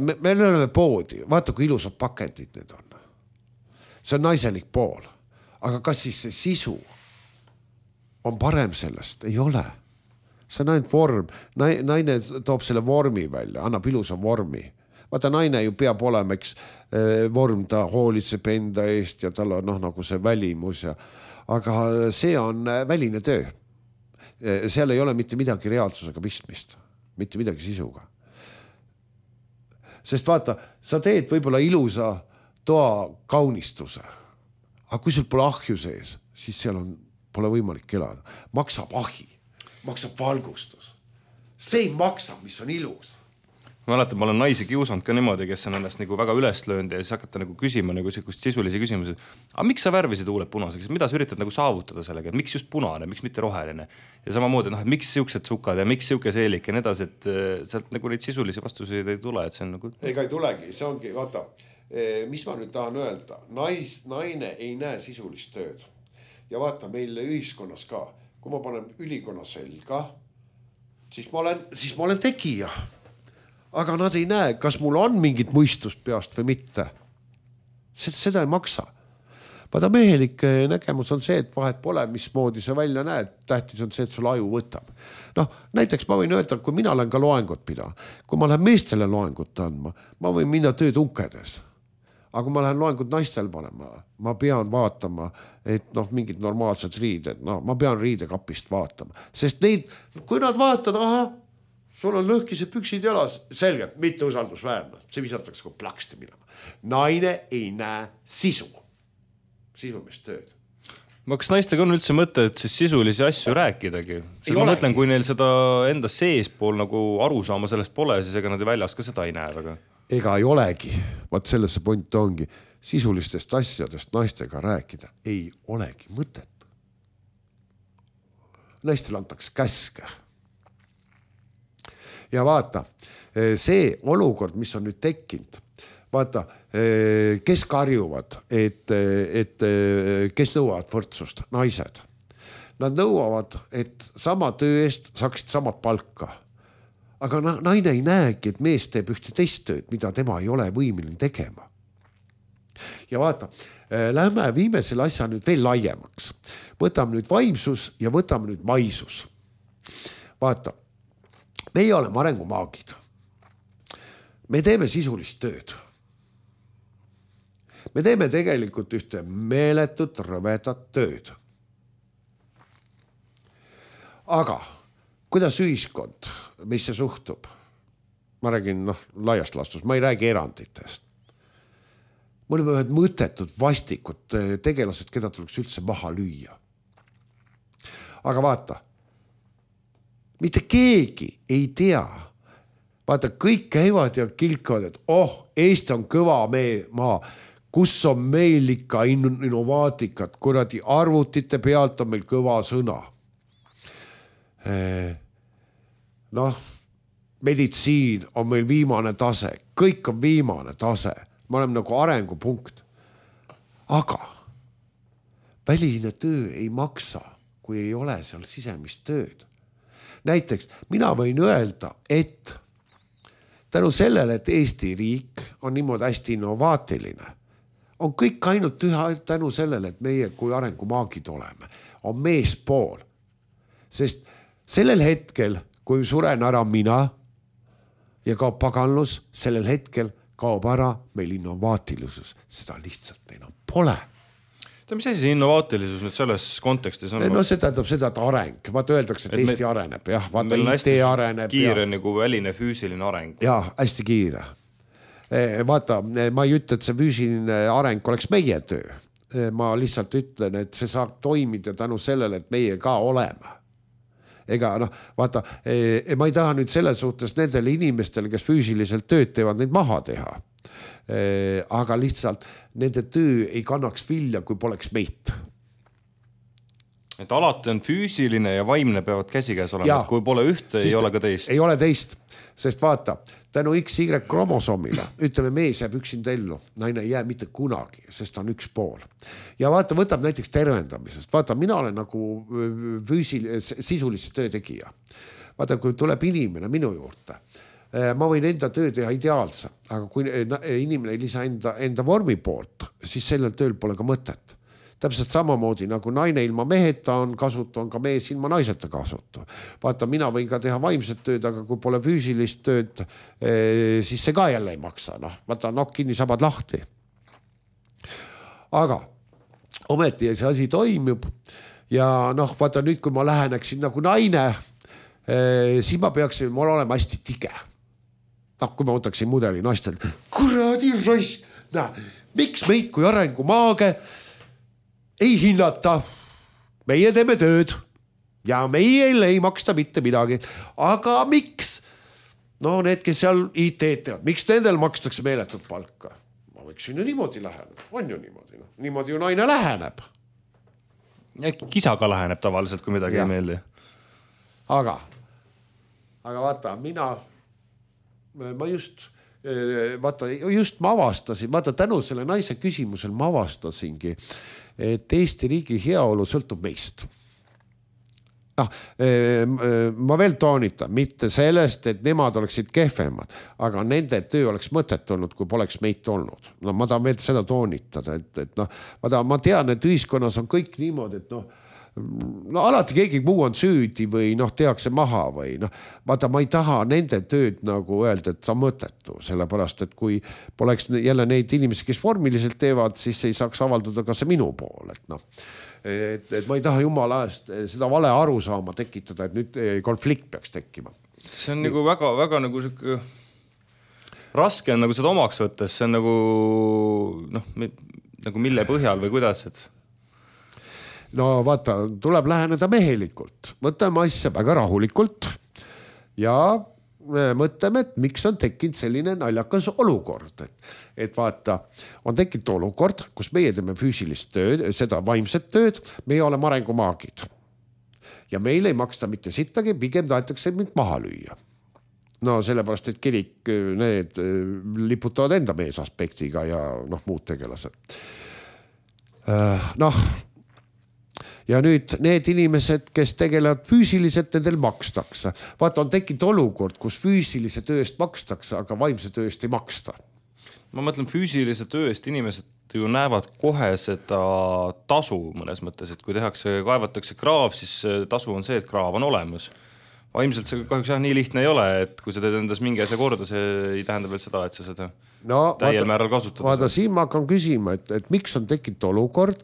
me oleme poodi. Vaata, kui ilusad pakendid need on. See on naiselik pool. Aga kas siis see sisu on parem sellest? Ei ole. See on ainult vorm. Naine toob selle vormi välja, annab ilusa vormi. Vaata, naine ju peab olema, eks vorm, ta hoolitseb enda eest ja tal on nagu see välimus. Aga see on väline töö. Seal ei ole mitte midagi reaalsusega pistmist, mitte midagi sisuga. Sest vaata, sa teed võib-olla ilusa toa kaunistuse, aga kui sul pole ahju sees, siis seal pole võimalik elada. Maksab ahi, maksab valgustus. See ei maksa, mis on ilus. Ma mäletan, ma olen naisi kiusanud ka niimoodi, kes on ennast nagu väga üles löönud ja siis hakata nagu küsima nagu sisulisi küsimusi. Aga miks sa värvisid huuled punaseks? Mida sa üritad nagu saavutada sellega? Et miks just punane, miks mitte roheline? Ja samamoodi, et miks siuksed sukad ja miks siuke seelik ja need asjad, et sealt nagu neid sisulisi vastuseid ei tule. Et see on nagu... Ega ei tulegi, see ongi, vaata, mis ma nüüd tahan öelda. Naine ei näe sisulist tööd. Ja vaata, meil ühiskonnas ka, kui ma panen ülikonna selga, siis ma olen tegija. Aga nad ei näe, kas mul on mingit mõistust peast või mitte. Seda ei maksa. vaata mehelik nägemus on see, et vahet pole, mismoodi sa välja näed, tähtis on see, et sul aju võtab. Noh, näiteks ma võin öelda, kui mina olen ka loengut pida, kui ma lähen meestele loengut andma, ma võin minna tööd unkedes. Aga kui ma lähen loengut naistel panema, ma pean vaatama, et mingid normaalsed riided, ma pean riidekapist vaatama, sest neid, kui nad vaatavad, aha, sul on lõhkised püksid jalas, selgelt, mitte usaldusväärne, see visatakse kui plaksti minema. Naine ei näe sisulist tööd. Kas naistega on üldse mõte, et siis sisulisi asju rääkidagi? Ma mõtlen, kui neil seda enda seespool nagu aru saama sellest pole, siis ega nad väljas ka seda ei näe väga. Ega ei olegi, vaat sellesse point ongi, sisulistest asjadest naistega rääkida ei olegi mõtet. Naistel antakse käske. Ja vaata, see olukord, mis on nüüd tekkinud, vaata, kes karjuvad, et kes nõuavad võrdsust, naised. Nad nõuavad, et sama töö eest saaksid samad palka. Aga naine ei näegi, et mees teeb ühte teist tööd, mida tema ei ole võimeline tegema. Ja vaata, lähme viime selle asja nüüd veel laiemaks. Võtame nüüd vaimsus ja võtame nüüd maisus. Vaata, meie oleme arengumaagid. Me teeme sisulist tööd. Me teeme tegelikult ühte meeletut rõvedat tööd. Aga kuidas ühiskond meisse suhtub? Ma räägin laiast laastus, ma ei räägi eranditest. Me oleme ühed mõttetud, vastikud tegelased, keda tuleks üldse maha lüüa. Aga vaata, mitte keegi ei tea. Vaata, kõik käivad ja kilkavad, et Eesti on kõva maa, kus on meil ikka innovaatikat, kuradi arvutite pealt on meil kõva sõna. Meditsiin on meil viimane tase, kõik on viimane tase, me oleme nagu arengupunkt. Aga väline töö ei maksa, kui ei ole seal sisemist tööd. Näiteks mina võin öelda, et tänu sellele, et Eesti riik on niimoodi hästi innovaatiline, on kõik ainult tänu sellele, et meie kui arengumaagid oleme, on meespool. Sest sellel hetkel, kui suren ära mina ja kaob paganlus, sellel hetkel kaob ära meil innovaatilisus. Seda lihtsalt enam pole. Mis asi see innovaatilisus nüüd selles kontekstis on? No see tähendab seda, et areng. Vaata öeldakse, et Eesti areneb. Jah, vaata IT areneb. Kiire nagu väline füüsiline areng. Jah, hästi kiire. Vaata, ma ei ütle, et see füüsiline areng oleks meie töö. Ma lihtsalt ütlen, et see saab toimida tänu sellele, et meie ka oleme. Ega vaata, ma ei taha nüüd selles suhtes nendele inimestele, kes füüsiliselt tööd teevad, neid maha teha. Aga lihtsalt nende töö ei kannaks vilja, kui poleks meid. Et alati on füüsiline ja vaimne peavad käsikäes olema, kui pole ühte, ei ole ka teist. Ei ole teist, sest vaata, tänu XY kromosoomile, ütleme, mees jääb üksinda ellu, naine ei jää mitte kunagi, sest ta on üks pool. Ja vaata, võtab näiteks tervendamisest. Vaata, mina olen nagu sisulise töötegija. Vaata, kui tuleb inimene minu juurde, ma võin enda töö teha ideaalse, aga kui inimene ei lisa enda vormi poolt, siis sellel tööl pole ka mõtet. Täpselt samamoodi nagu naine ilma meheta on kasutu, on ka mees ilma naiseta kasutu. Vaata, mina võin ka teha vaimset tööd, aga kui pole füüsilist tööd, siis see ka jälle ei maksa. Vaata, nokk kinni, sabad lahti. Aga ometi see asi toimib ja vaata nüüd, kui ma läheneksin nagu naine, siis ma peaksin mul olema hästi tige. Kui ma võtaksin mudeli naistelt, kuradi roiss, miks meid kui arengumaage ei hinnata, meie teeme tööd ja meile ei maksta mitte midagi. Aga miks? Need, kes seal IT teevad, miks nendel makstakse meeletut palka? Ma võiksin ju niimoodi läheneda, on ju niimoodi. Niimoodi ju naine läheneb. Kisa ka läheneb tavaliselt, kui midagi ei meeldi. Aga vaata, ma just ma avastasin, vaata tänu selle naise küsimusel ma avastasingi, et Eesti riigi heaolu sõltub meist. ma veel toonitan, mitte sellest, et nemad oleksid kehvemad, aga nende töö oleks mõtet olnud, kui poleks meid olnud. No ma tahan veel seda toonitada, et ma tean, et ühiskonnas on kõik niimoodi, et alati keegi muu on süüdi või tehakse maha või vaata, ma ei taha nende tööd nagu öelda, et see on mõttetu, sellepärast, et kui poleks jälle neid inimesi, kes vormiliselt teevad, siis ei saaks avaldada ka see minu pool, et ma ei taha jumala eest seda vale arusaama tekitada, et nüüd konflikt peaks tekkima. See on nagu väga, väga nagu siuke raske on nagu seda omaks võttes, see on nagu mille põhjal või kuidas, et no vaata, tuleb läheneda mehelikult, võtame asja väga rahulikult ja mõtleme, et miks on tekkinud selline naljakas olukord, et vaata, on tekkinud olukord, kus meie teeme füüsilist tööd, seda vaimset tööd, meie oleme arengumaagid ja meil ei maksta mitte sittagi, pigem tahetakse mind maha lüüa. No sellepärast, et kirik, need liputavad enda meesaspektiga ja muud tegelased. Ja nüüd need inimesed, kes tegelevad füüsiliselt, nendel makstakse. Vaata, on tekkinud olukord, kus füüsilise tööst makstakse, aga vaimse tööst ei maksta. Ma mõtlen, füüsilise tööst inimesed ju näevad kohe seda tasu mõnes mõttes, et kui kaevatakse kraav, siis tasu on see, et kraav on olemas. Vaimselt see kahjuks nii lihtne ei ole, et kui sa teed endas mingi asja korda, see ei tähenda veel seda, et sa seda täiel määral kasutada. Vaata, siin ma hakkan küsima, et miks on tekkinud olukord,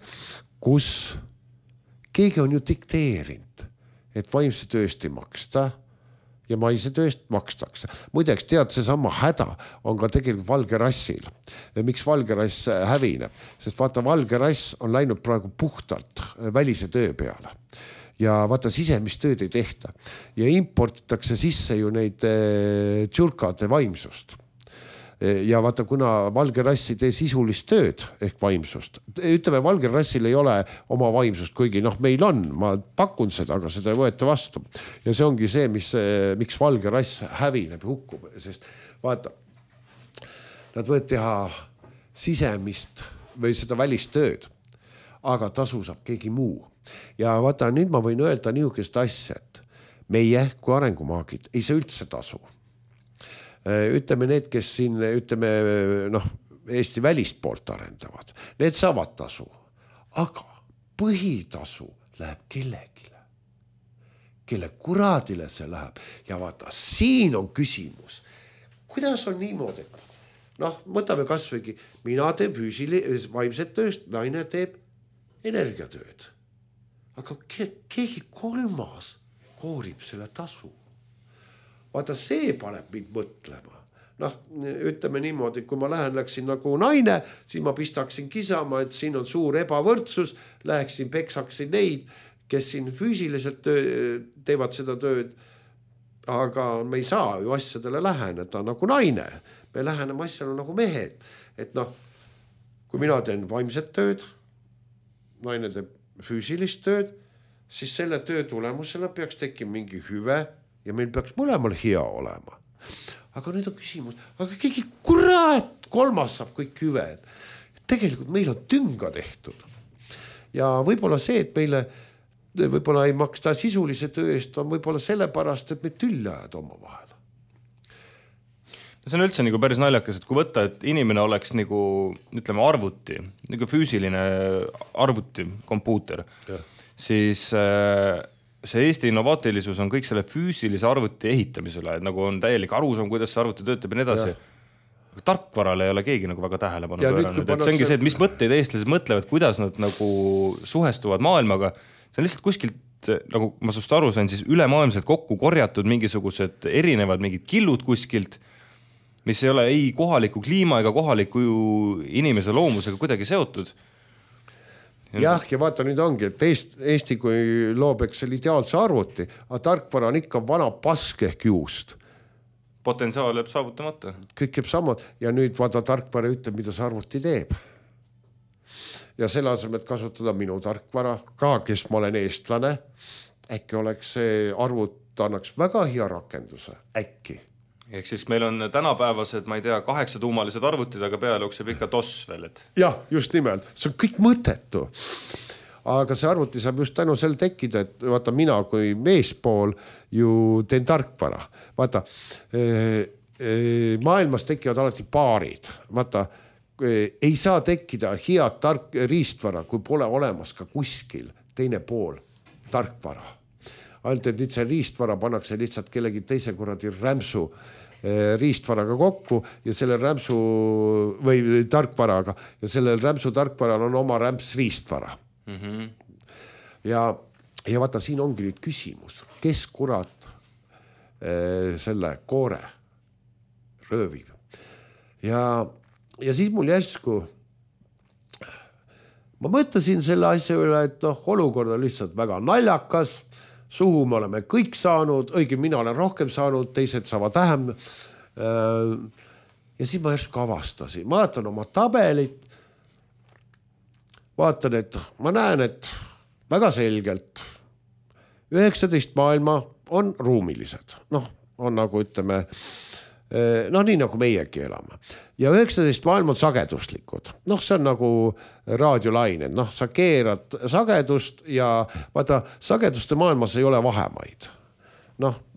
kus keegi on ju dikteerinud, et vaimse tööst ei maksta ja maise tööst makstakse. Muideks tead, see sama häda on ka tegelikult valge rassil. Miks valge rass hävineb? Sest vaata, valge rass on läinud praegu puhtalt välise töö peale. Ja vaata, sisemist tööd ei tehta. Ja importitakse sisse ju neid tšurkade vaimsust. Ja vaata, kuna valge rass ei tee sisulist tööd ehk vaimsust, ütleme, valge rassil ei ole oma vaimsust, kuigi meil on, ma pakun seda, aga seda ei võeta vastu. Ja see ongi see, miks valge rass hävineb ja hukkub, sest vaata, nad võivad teha sisemist või seda välist tööd, aga tasu saab keegi muu. Ja vaata, nüüd ma võin öelda niisugust asja, et meie kui arengumaagid ei saa üldse tasu. Ütleme need, kes siin, Eesti välist poolt arendavad, need saavad tasu, aga põhitasu läheb kellegile, kelle kuradile see läheb. Ja vaata, siin on küsimus, kuidas on niimoodi, et võtame kas võigi, mina teen vaimset tööst, naine teeb energiatööd, aga keegi kolmas koorib selle tasu. Vaata, see paneb mind mõtlema. Ütleme niimoodi, kui ma läksin nagu naine, siis ma pistaksin kisama, et siin on suur ebavõrdsus, läheksin, peksaksin neid, kes siin füüsiliselt teevad seda tööd, aga me ei saa ju asjadele läheneda nagu naine. Me läheneme asjale nagu mehed. Et kui mina teen vaimset tööd, naine teeb füüsilist tööd, siis selle töö tulemusena peaks tekkima mingi hüve, ja meil peaks mõlemal hea olema. Aga nüüd on küsimus, aga keegi kurat kolmas saab kõik hüved. Tegelikult meil on tünga tehtud. Ja võib-olla see, et meile võib-olla ei maksta sisulise töö eest, on võib-olla sellepärast, et me tülljajad oma vahel. See on üldse nagu päris naljakas, et kui võtta, et inimene oleks nagu, ütleme, arvuti, nagu füüsiline arvuti, kompuuter, siis see Eesti innovaatilisus on kõik selle füüsilise arvuti ehitamisele, et nagu on täielik arusaam, kuidas see arvuti töötab ja nii edasi. Tarkvarale ei ole keegi nagu väga tähelepanu pööranud. Et see ongi see, et mis mõtteid eestlased mõtlevad, kuidas nad nagu suhestuvad maailmaga. See on lihtsalt kuskilt, nagu ma sust aru sain, siis ülemaailmselt kokku korjatud mingisugused erinevad mingid killud kuskilt, mis ei ole ei kohaliku kliima ega kohaliku inimese loomusega kuidagi seotud. Jah, ja vaata nüüd ongi, et Eesti kui loobeks selle ideaalse arvuti, aga tarkvara on ikka vana pask ehk juust. Potentsiaal jääb saavutamata. Kõik jääb samad ja nüüd vaata tarkvara ütleb, mida see arvuti teeb. Ja selle asemel, et kasutada minu tarkvara, ka kes ma olen eestlane, äkki oleks see arvut annaks väga hea rakenduse, äkki. Ehk siis meil on tänapäevased, ma ei tea, 8-tuumalised arvutid, aga peale jookseb ikka DOS veel, et... Jah, just nimelt. See on kõik mõttetu. aga see arvuti saab just tänu sel tekkida, et vaata mina kui meespool ju teen tarkvara. Vaata, maailmas tekivad alati paarid. Vaata, ei saa tekkida head riistvara, kui pole olemas ka kuskil teine pool tarkvara. Ainult, et nüüd see riistvara pannakse lihtsalt kellegi teise kuradi rämpsu riistvaraga kokku ja selle rämpsu või tarkvaraga ja sellel rämpsu tarkvaral on oma rämps riistvara. Ja vaata, siin ongi nüüd küsimus, kes kurat selle koore röövib. Ja siis mul järsku ma mõtlesin selle asja üle, et olukord on lihtsalt väga naljakas, suhu me oleme kõik saanud, õige mina olen rohkem saanud, teised saavad vähem. Ja siis ma järsku avastasin, ma vaatan oma tabelit, vaatan, et ma näen, et väga selgelt 19 maailma on ruumilised. On nagu ütleme, nii nagu meiegi elame. Ja 19 maailm on sageduslikud. See on nagu raadiolained. Sa keerad sagedust ja vaata, sageduste maailmas ei ole vahemaid.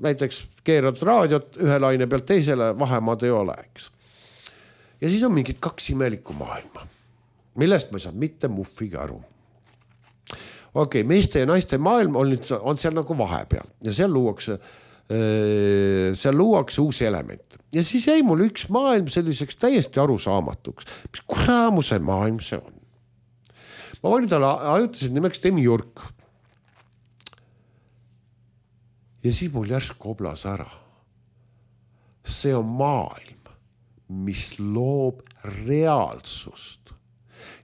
Näiteks keerad raadiot ühe laine pealt teisele, vahemaad ei ole, eks. Ja siis on mingid 2 imelikku maailma, millest ma ei saa mitte muffigi aru. Okei, meeste ja naiste maailm on seal nagu vahepeal ja seal luuakse uusi elemente. Ja siis jäi mul üks maailm selliseks täiesti arusaamatuks. Mis kuramuse maailm see on? Ma vanin talle ajutasid nimeks Demiurg. Ja siis mul järsk koblas ära. See on maailm, mis loob reaalsust.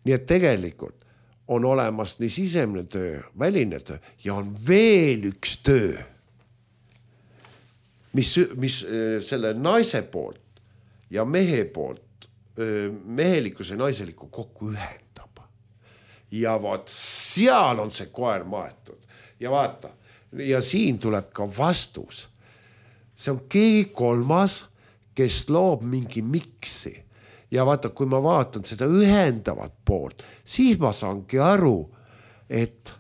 Nii et tegelikult on olemas nii sisemne töö, väline töö ja on veel üks töö, mis selle naise poolt ja mehe poolt mehelikkuse ja naiselikku kokku ühendab. Ja vaat seal on see koer maetud. Ja vaata, ja siin tuleb ka vastus. See on keegi kolmas, kes loob mingi miksi. Ja vaata, kui ma vaatan seda ühendavat poolt, siis ma saangi aru, et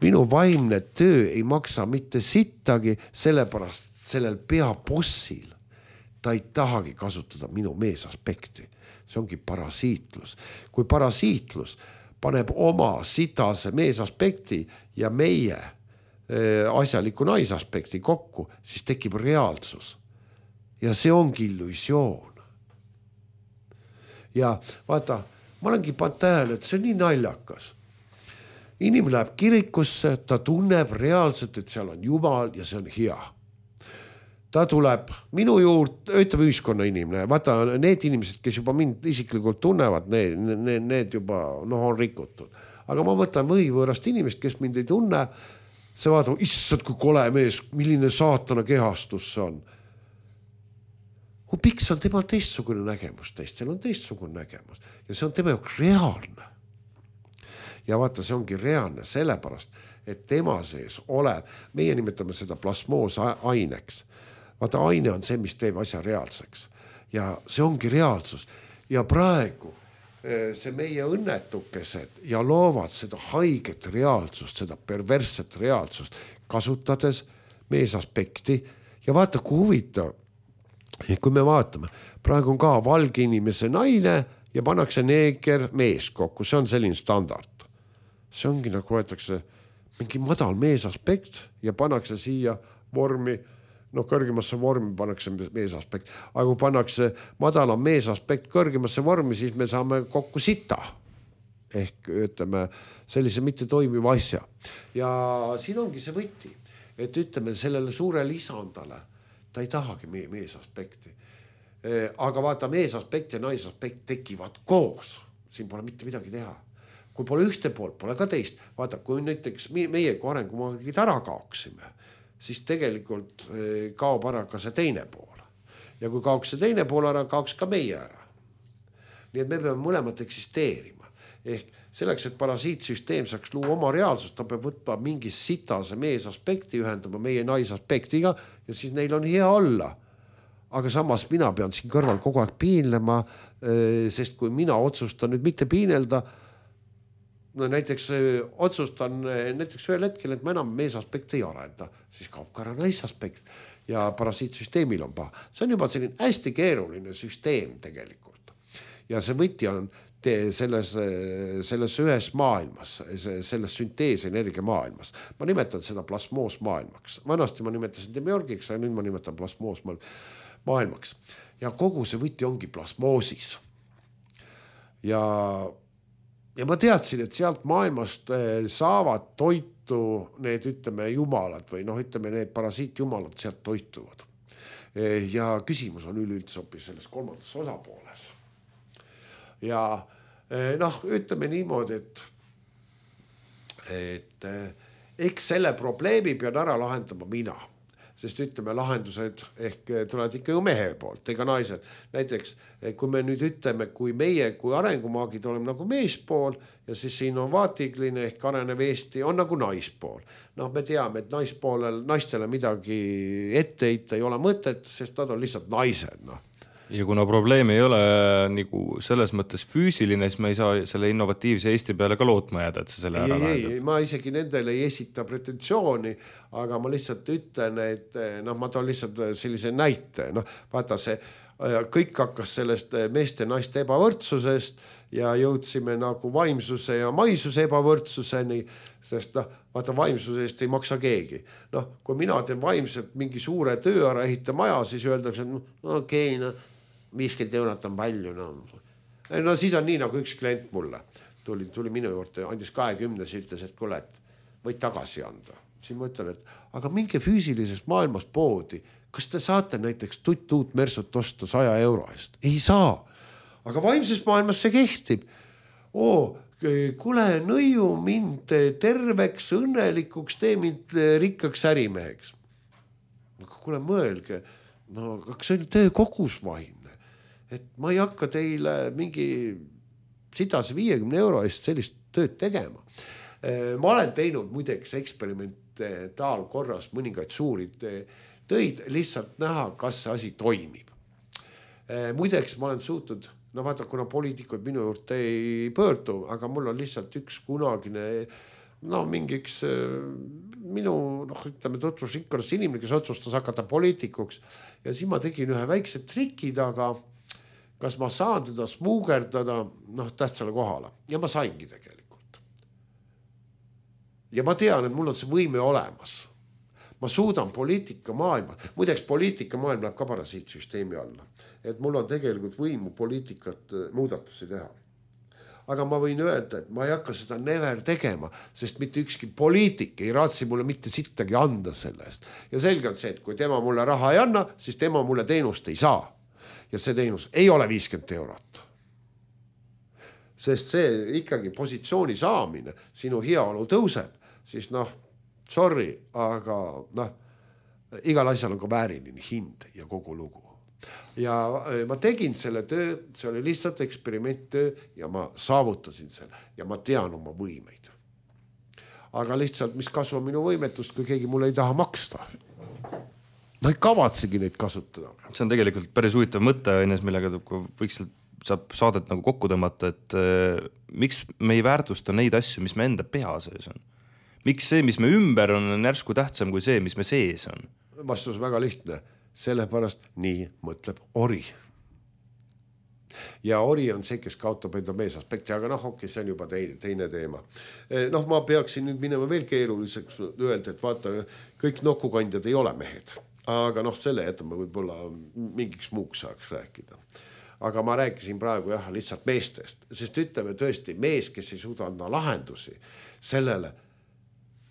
minu vaimne töö ei maksa mitte sittagi, sellepärast sellel peabossil ta ei tahagi kasutada minu meesaspekti. See ongi parasiitlus. Kui parasiitlus paneb oma sitase meesaspekti ja meie asjaliku naisaspekti kokku, siis tekib reaalsus. Ja see ongi illusioon. Ja vaata, ma olengi pannud tähele, et see on nii naljakas. Inimene läheb kirikusse, ta tunneb reaalselt, et seal on Jumal ja see on hea. Ta tuleb minu juurde, ütleb ühiskonna inimene. Vaata, need inimesed, kes juba mind isiklikult tunnevad, need juba on rikutud. Aga ma võtan võõrast inimest, kes mind ei tunne, see vaatab, issad kui kole mees, milline saatana kehastus see on. Piks on temal teistsugune nägemus, teistel on teistsugune nägemus ja see on tema jaoks reaalne. Ja vaata, see ongi reaalne sellepärast, et tema sees olev, meie nimetame seda plasmoosaineks. Vaata, aine on see, mis teeb asja reaalseks. Ja see ongi reaalsus. Ja praegu see meie õnnetukesed ja loovad seda haiget reaalsust, seda perversset reaalsust, kasutades meesaspekti. Ja vaata, kui huvitav, kui me vaatame, praegu on ka valge inimese naine ja pannakse neeger mees kokku, see on selline standard. See ongi nagu võetakse mingi madal meesaspekt ja pannakse siia vormi, kõrgemasse vormi pannakse meesaspekt, aga kui pannakse madalam meesaspekt kõrgemasse vormi, siis me saame kokku sita. Ehk ütleme sellise mitte toimiva asja. Ja siin ongi see võti, et ütleme sellele suure lisandale, ta ei tahagi meesaspekti. Aga vaata, meesaspekt ja naisaspekt tekivad koos. Siin pole mitte midagi teha. Kui pole ühte poolt, pole ka teist. Vaata, kui näiteks meie kui arengumaagid ära kaoksime, siis tegelikult kaob ära ka see teine pool. Ja kui kaoks see teine pool ära, kaoks ka meie ära. Nii et me peame mõlemad eksisteerima. Ehk selleks, et parasiitsüsteem saaks luua oma reaalsust, ta peab võtma mingi sitase meesaspekti, ühendama meie naisaspektiga ja siis neil on hea olla. Aga samas mina pean siin kõrval kogu aeg piinlema, sest kui mina otsustan nüüd mitte piinelda, no näiteks otsustan näiteks ühel hetkel, et ma enam meesaspekti ei arenda, siis kaob ka ära naisaspekt ja parasiitsüsteemil on paha. See on juba selline hästi keeruline süsteem tegelikult. Ja see võti on selles ühes maailmas, selles sünteesenergia maailmas. Ma nimetan seda plasmoos maailmaks. Vanasti ma nimetasin demiorgiks, aga nüüd ma nimetan plasmoos maailmaks. Ja kogu see võti ongi plasmoosis. Ja ma teadsin, et sealt maailmast saavad toitu need, ütleme, jumalad või ütleme, need parasiitjumalad sealt toituvad. Ja küsimus on üleüldse hoopis selles kolmandas osapooles. Ja ütleme niimoodi, et eks selle probleemi pean ära lahendama mina. Sest ütleme, lahendused ehk tulevad ikka ju mehe poolt, ega naised. Näiteks, kui me nüüd ütleme, kui meie, kui arengumaagid oleme nagu meespool ja siis siin on vaatigline ehk arenev Eesti on nagu naispool. Me teame, et naistele midagi ette heita ei ole mõtet, sest nad on lihtsalt naised. Ja kuna probleem ei ole nagu selles mõttes füüsiline, siis me ei saa selle innovatiivse Eesti peale ka lootma jääda, et see selle ära lahendab. Ei, ma isegi nendele ei esita pretensiooni, aga ma lihtsalt ütlen, et ma toon lihtsalt sellise näite. Vaata see, kõik hakkas sellest meeste naiste ebavõrdsusest ja jõudsime nagu vaimsuse ja maisuse ebavõrdsuseni, sest vaata vaimsusest ei maksa keegi. Kui mina teen vaimselt mingi suure töö ära ehita maja, siis öeldakse, okei, 50 eurot on palju. Siis on nii nagu üks klient mulle. Tuli minu juurde, andis 20, ütles, et kuule, et võid tagasi anda. Siis ma ütlen, et aga minge füüsilises maailmas poodi. Kas te saate näiteks uut Mersut osta 100 euro eest? Ei saa. Aga vaimses maailmas see kehtib. Kuule, nõiu mind terveks, õnnelikuks, tee mind rikkaks ärimeheks. Kuule, mõelge, kas see on töö kogusvaimne? Et ma ei hakka teile mingi 150 euro eest sellist tööd tegema. Ma olen teinud muideks eksperimentaalkorras mõningaid suuri töid, lihtsalt näha, kas see asi toimib. Muideks ma olen suutnud, vaata, kuna poliitikud minu juurde ei pöördu, aga mul on lihtsalt üks kunagine, mingiks minu, ütleme, tutvusrikkaras inimene, kes otsustas hakata poliitikuks ja siis ma tegin ühe väikse triki taga, kas ma saan teda smuugerdada tähtsale kohale. Ja ma saingi tegelikult. Ja ma tean, et mul on see võime olemas. Ma suudan poliitika maailma. Muideks poliitika maailm läheb ka parasiitsüsteemi alla. Et mul on tegelikult võimu poliitikat muudatusi teha. Aga ma võin öelda, et ma ei hakka seda never tegema, sest mitte ükski poliitik ei raatsi mulle mitte sittagi anda sellest. Ja selge on see, et kui tema mulle raha ei anna, siis tema mulle teenust ei saa. Ja see teenus ei ole 50 eurot. Sest see ikkagi positsiooni saamine, sinu heaolu tõuseb, siis sorry, aga igal asjal on ka vääriline hind ja kogu lugu. Ja ma tegin selle töö, see oli lihtsalt eksperimenttöö ja ma saavutasin selle ja ma tean oma võimeid. Aga lihtsalt, mis kasu on minu võimetust, kui keegi mulle ei taha maksta? Ma ei kavatsegi neid kasutada. See on tegelikult päris huvitav mõte, millega võiks saab saadet nagu kokku tõmmata, et miks me ei väärtusta neid asju, mis me enda pea sees on? Miks see, mis me ümber on järsku tähtsam kui see, mis me sees on? Vastus väga lihtne. Sellepärast nii mõtleb ori. Ja ori on see, kes kaotab enda meesaspekti, aga see on juba teine teema. Ma peaksin nüüd minema veel keeruliseks öelda, et vaata, kõik nokukandjad ei ole mehed. Aga selle jätame võib-olla mingiks muuks saaks rääkida. Aga ma rääkisin praegu lihtsalt meestest, sest ütleme tõesti mees, kes ei suuda anda lahendusi sellele,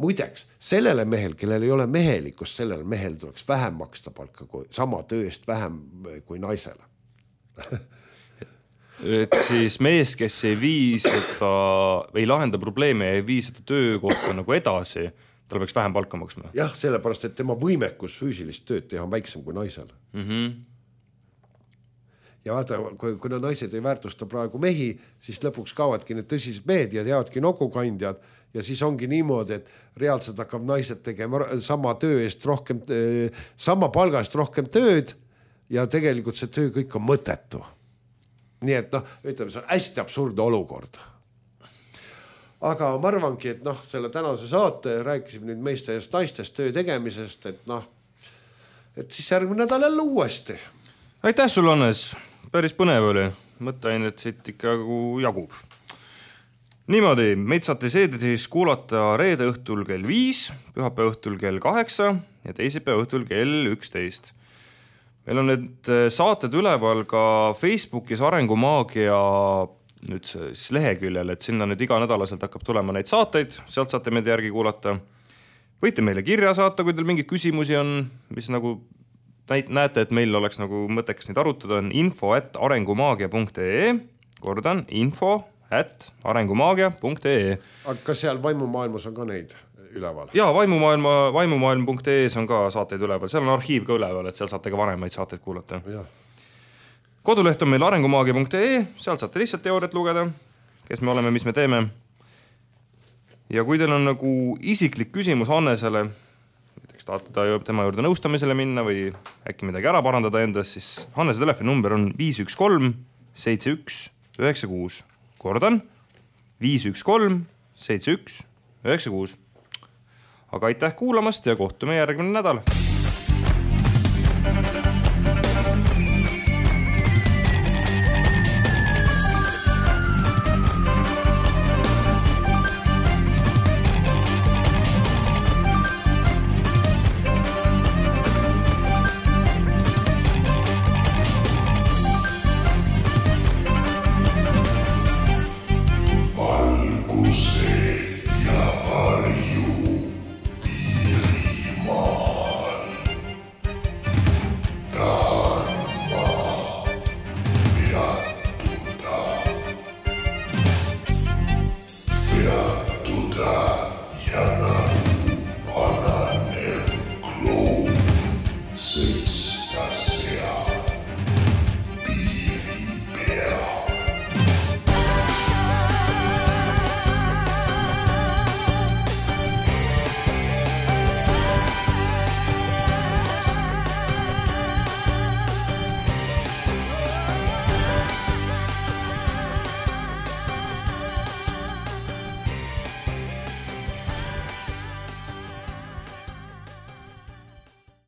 muideks, sellele mehel, kellel ei ole mehelikust, sellele mehel tuleks vähem maksta palka kui sama töö eest vähem kui naisele. Et siis mees, kes ei vii seda, ei lahenda probleeme ja ei vii seda töökohta nagu edasi, tal peaks vähem palka maksma. Jah, sellepärast, et tema võimekus füüsilist tööd teha on väiksem kui naisel. Ja vaata, kuna naised ei väärtusta praegu mehi, siis lõpuks kaovatki need tõsised mehed ja teavadki nokukandjad ja siis ongi niimoodi, et reaalselt hakkab naised tegema sama töö eest rohkem, sama palga eest rohkem tööd ja tegelikult see töö kõik on mõttetu. Nii et ütleme, see on hästi absurdne olukord. aga ma arvangi, et selle tänase saate rääkisime nüüd meeste ja naistest töö tegemisest, et siis järgmine nädal jälle uuesti. Aitäh sul, Hannes, päris põnev oli, mõtteainet siit ikka jagub. Niimoodi, meid saate seedris kuulata reede õhtul kell 5, pühapäeva õhtul kell 8 ja teisipäeva õhtul kell 11. Meil on need saated üleval ka Facebookis Arengumaagia nüüd siis leheküljel, et sinna nüüd iga nädalaselt hakkab tulema neid saateid, sealt saate meid järgi kuulata. Võite meile kirja saata, kui teil mingeid küsimusi on, mis nagu näete, et meil oleks nagu mõttekas neid arutada, on info@arengumaagia.ee, kordan, info@arengumaagia.ee. Aga kas seal Vaimumaailmas on ka neid üleval? Jaa, vaimumaailm.ee on ka saateid üleval, seal on arhiiv ka üleval, et seal saate ka vanemaid saateid kuulata. Ja. Koduleht on meil arengumaagia.ee, seal saate lihtsalt teooriat lugeda, kes me oleme, mis me teeme. Ja kui teil on nagu isiklik küsimus Hannesele, näiteks tahate tema juurde nõustamisele minna või äkki midagi ära parandada endas, siis Hannese telefoninumber on 513 71 96. Kordan, 513 71 96. Aga aitäh kuulamast ja kohtume järgmine nädal.